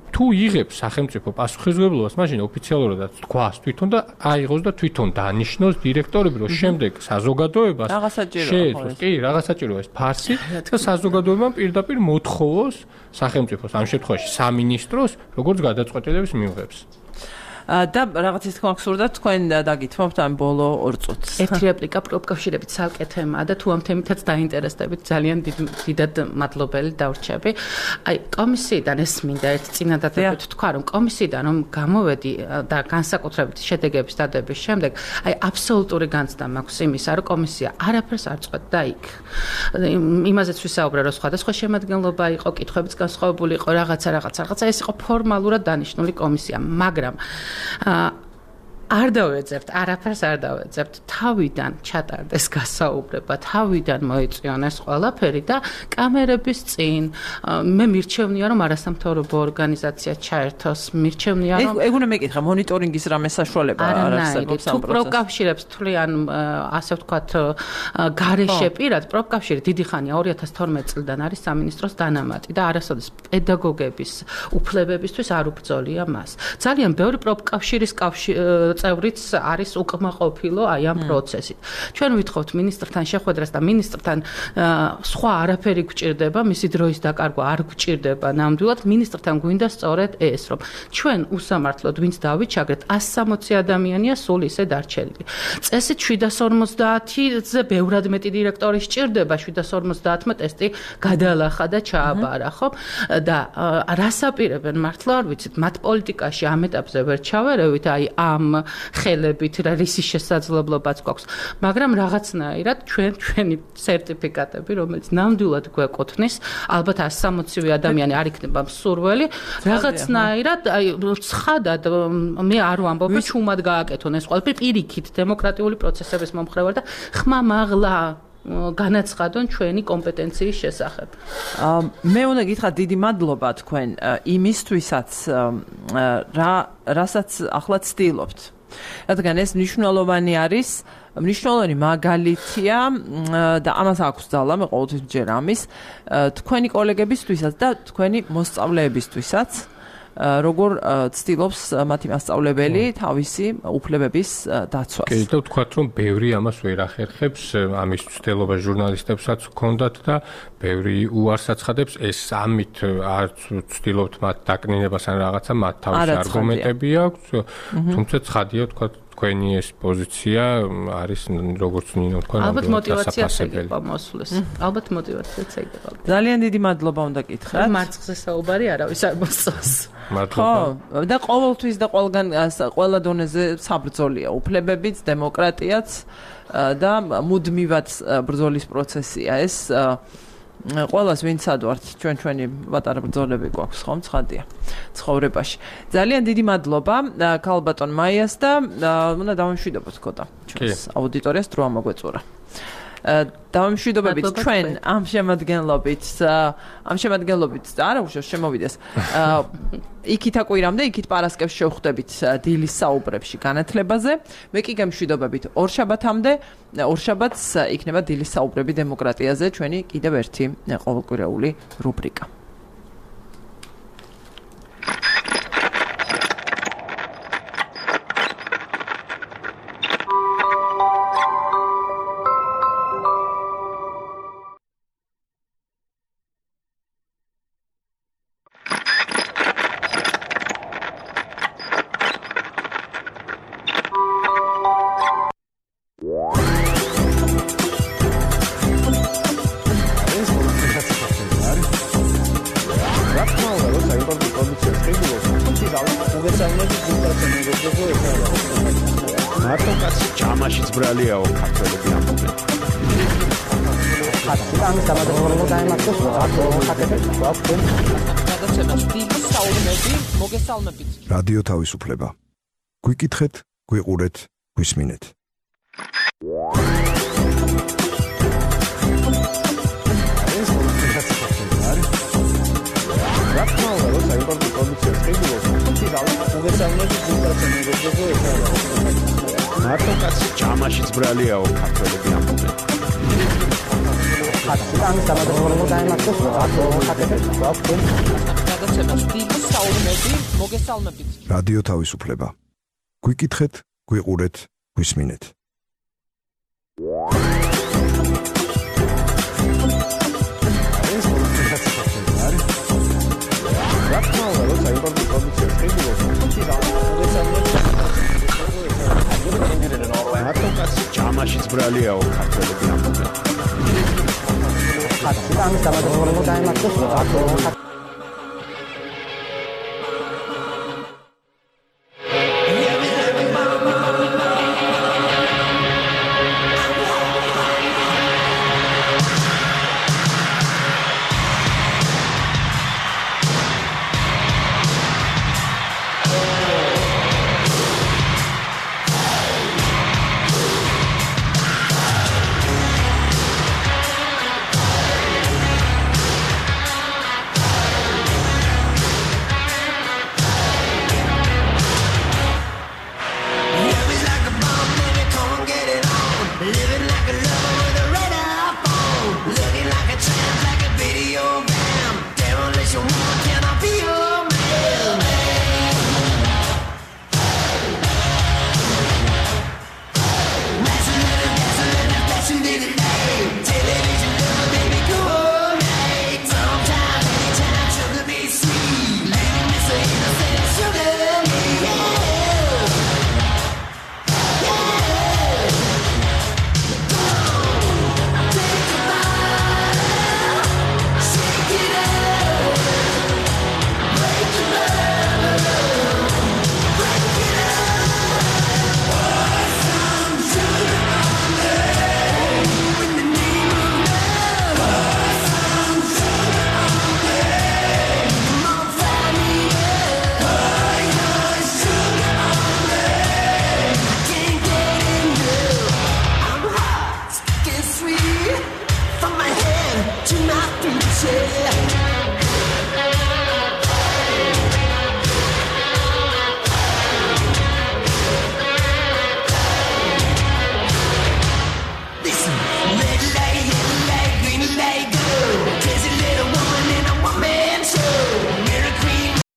თუ იღებს სახელმწიფო პასუხისმგებლობას მაშინ ოფიციალურადაც თქვას თვითონ და აიღოს და თვითონ დანიშნოს დირექტორები რომ შემდეგ საზოგადოებას შეეძლოს კი რაღაცაჭიროა ეს ფარსი და საზოგადოებამ პირდაპირ მოთხოვოს სახელმწიფოს ამ შემთხვევაში სამინისტროს როგორც გადაწყვეტილების მიღებს და რაღაცის თქმა გსურდა თქვენ დაგითმობთ ამ ბოლო 2 წუთს. ერთი რეპლიკა პროფკავშირებით ცალკე თემაა და თუ ამ თემითაც დაინტერესდებით ძალიან დიდად მადლობელი დავრჩები. აი კომისიიდან ეს მინდა ერთ წინადადებით თქვა რომ კომისიიდან რომ გამოვედი და განსაკუთრებით შედეგების დადების შემდეგ აი აბსოლუტური განცდა მაქვს იმისა რომ კომისია არაფერს არ წყვეტდა იქ. იმაზეც ვისაუბრე რომ სხვადასხვა შემადგენლობა იყო, კითხვებიც განსხვავებული იყო, რაღაცა ეს იყო ფორმალურად დანიშნული კომისია, მაგრამ არ დავეძებთ, არაფერს არ დავეძებთ. თავიდან ჩატარდეს გასაუბრება, თავიდან მოიწვიონ ეს ყველაფერი და კამერების წინ მე მირჩევნია რომ არასამთავრობო ორგანიზაცია ჩაერთოს, მირჩევნია რომ ეგ უნდა მეკითხა მონიტორინგის რამე საშუალება არ არსებობს ამ პროცესში. პროფკავშირებს თვლიან ასე ვთქვათ გარეშე პირად, პროფკავშირი დიდი ხანია 2012 წლიდან არის სამინისტროს დანამატი და არასოდეს პედაგოგების უფლებებისთვის არ უბრძოლია მას. ძალიან ბევრი პროფკავშირის წევრიც არის უკმაყოფილო აი ამ პროცესით. ჩვენ ვითხოვთ მინისტრთან შეხვედრას და მინისტრთან სხვა არაფერი გვჭირდება, მისი დროის დაკარგვა არ გვჭირდება ნამდვილად. მინისტრთან გვინდა სწორედ ეს, რომ ჩვენ უსამართლოდ ვინც დავიჩაგრეთ 160 ადამიანია სულ ისე დარჩენილი. წესით 750-ზე ბევრად მეტი დირექტორი სჭირდება, 750-მა ტესტი გადალახა და ჩააბარა, ხო? და რას აპირებენ მართლა არ ვიცით, მათ პოლიტიკაში ამ ეტაპზე ვერ ჩავერევით, აი ამ ხელებით რა რისი შესაძლებლობაც გვაქვს, მაგრამ რაღაცნაირად ჩვენი სერტიფიკატები, რომელიც ნამდვილად გვეკუთვნის, ალბათ 160 ადამიანი არ იქნება მსურველი, რაღაცნაირად აი ცხადად მე არ ვამბობ, ჩუმად გააკეთონ ეს ყველაფერი პირიქით დემოკრატიული პროცესების მომხრევარ და ხმამაღლა განაცხადონ ჩვენი კომპეტენციის შესახებ. მე უნდა გითხრათ დიდი მადლობა თქვენ იმისთვისაც რასაც ახლა ცდილობთ. რადგან ეს მნიშვნელოვანი მაგალითია და ამას აქვს ძალა, მე ყოველთვის ვჯერ ამის, თქვენი კოლეგებისთვისაც და თქვენი მოსწავლეებისთვისაც, როგორ ცდილობს მათი მასწავლებელი თავისი უფლებების დაცვას. კი, და ვთქვათ, რომ ბევრი ამას ვერ ახერხებს, ამის ცდილობა ჟურნალისტებსაც ჰქონდათ და ბევრი უარს აცხადებს, ეს ამით არ ცდილობთ მათ დაკნინებას ან რაღაცა, მათ თავისი არგუმენტები აქვს, თუმცა ცხადია, ვთქვათ, თქვენი ეს პოზიცია არის როგორც ნინო თქვა, ალბათ მოტივაციაც ეგება მოსვლის. ალბათ მოტივაციაც ეგება. ძალიან დიდი მადლობა უნდა გითხრათ. მარცხზე საუბარი არავის არ მოსწონს. მადლობა. და ყოველთვის და ყველა დონეზე საბრძოლია უფლებებიც, დემოკრატიაც და მუდმივად ბრძოლის პროცესია ეს. ყველას ვინც ადვართ ჩვენი პატარა ბრძოლები გვაქვს ხომ ცხადია ცხოვრებაში. ძალიან დიდი მადლობა ქალბატონ მაიას და უნდა დავამშვიდობოთ ქოთა ჩვენს აუდიტორიას დრო ამოგვეწურა. დავამშვიდობებით ჩვენ ამ შემადგენლობით არა უშავს შემოვიდეს იქით აკვირამდე იქით პარასკევს შევხვდებით დილის საუბრებში განათლებაზე მე კი გამშვიდობებით ორ შაბათს იქნება დილის საუბრები დემოკრატიაზე ჩვენი კიდევ ერთი ყოველკვირეული რუბრიკა. რადიო თავისუფლება. გვიკითხეთ, გვიყურეთ, გვისმინეთ. მარტო კაცი ჯამაშიც ბრალიაო ქართველები ამბობენ. რადიო თავისუფლება. გვიკითხეთ, გვიყურეთ, გვისმინეთ. რა თქმა უნდა, როცა იმპორტი პროდუქცია ხდება, ბრალიაო ქართველები ამბობენ. ხატი ამის დამადროულად დაემართოს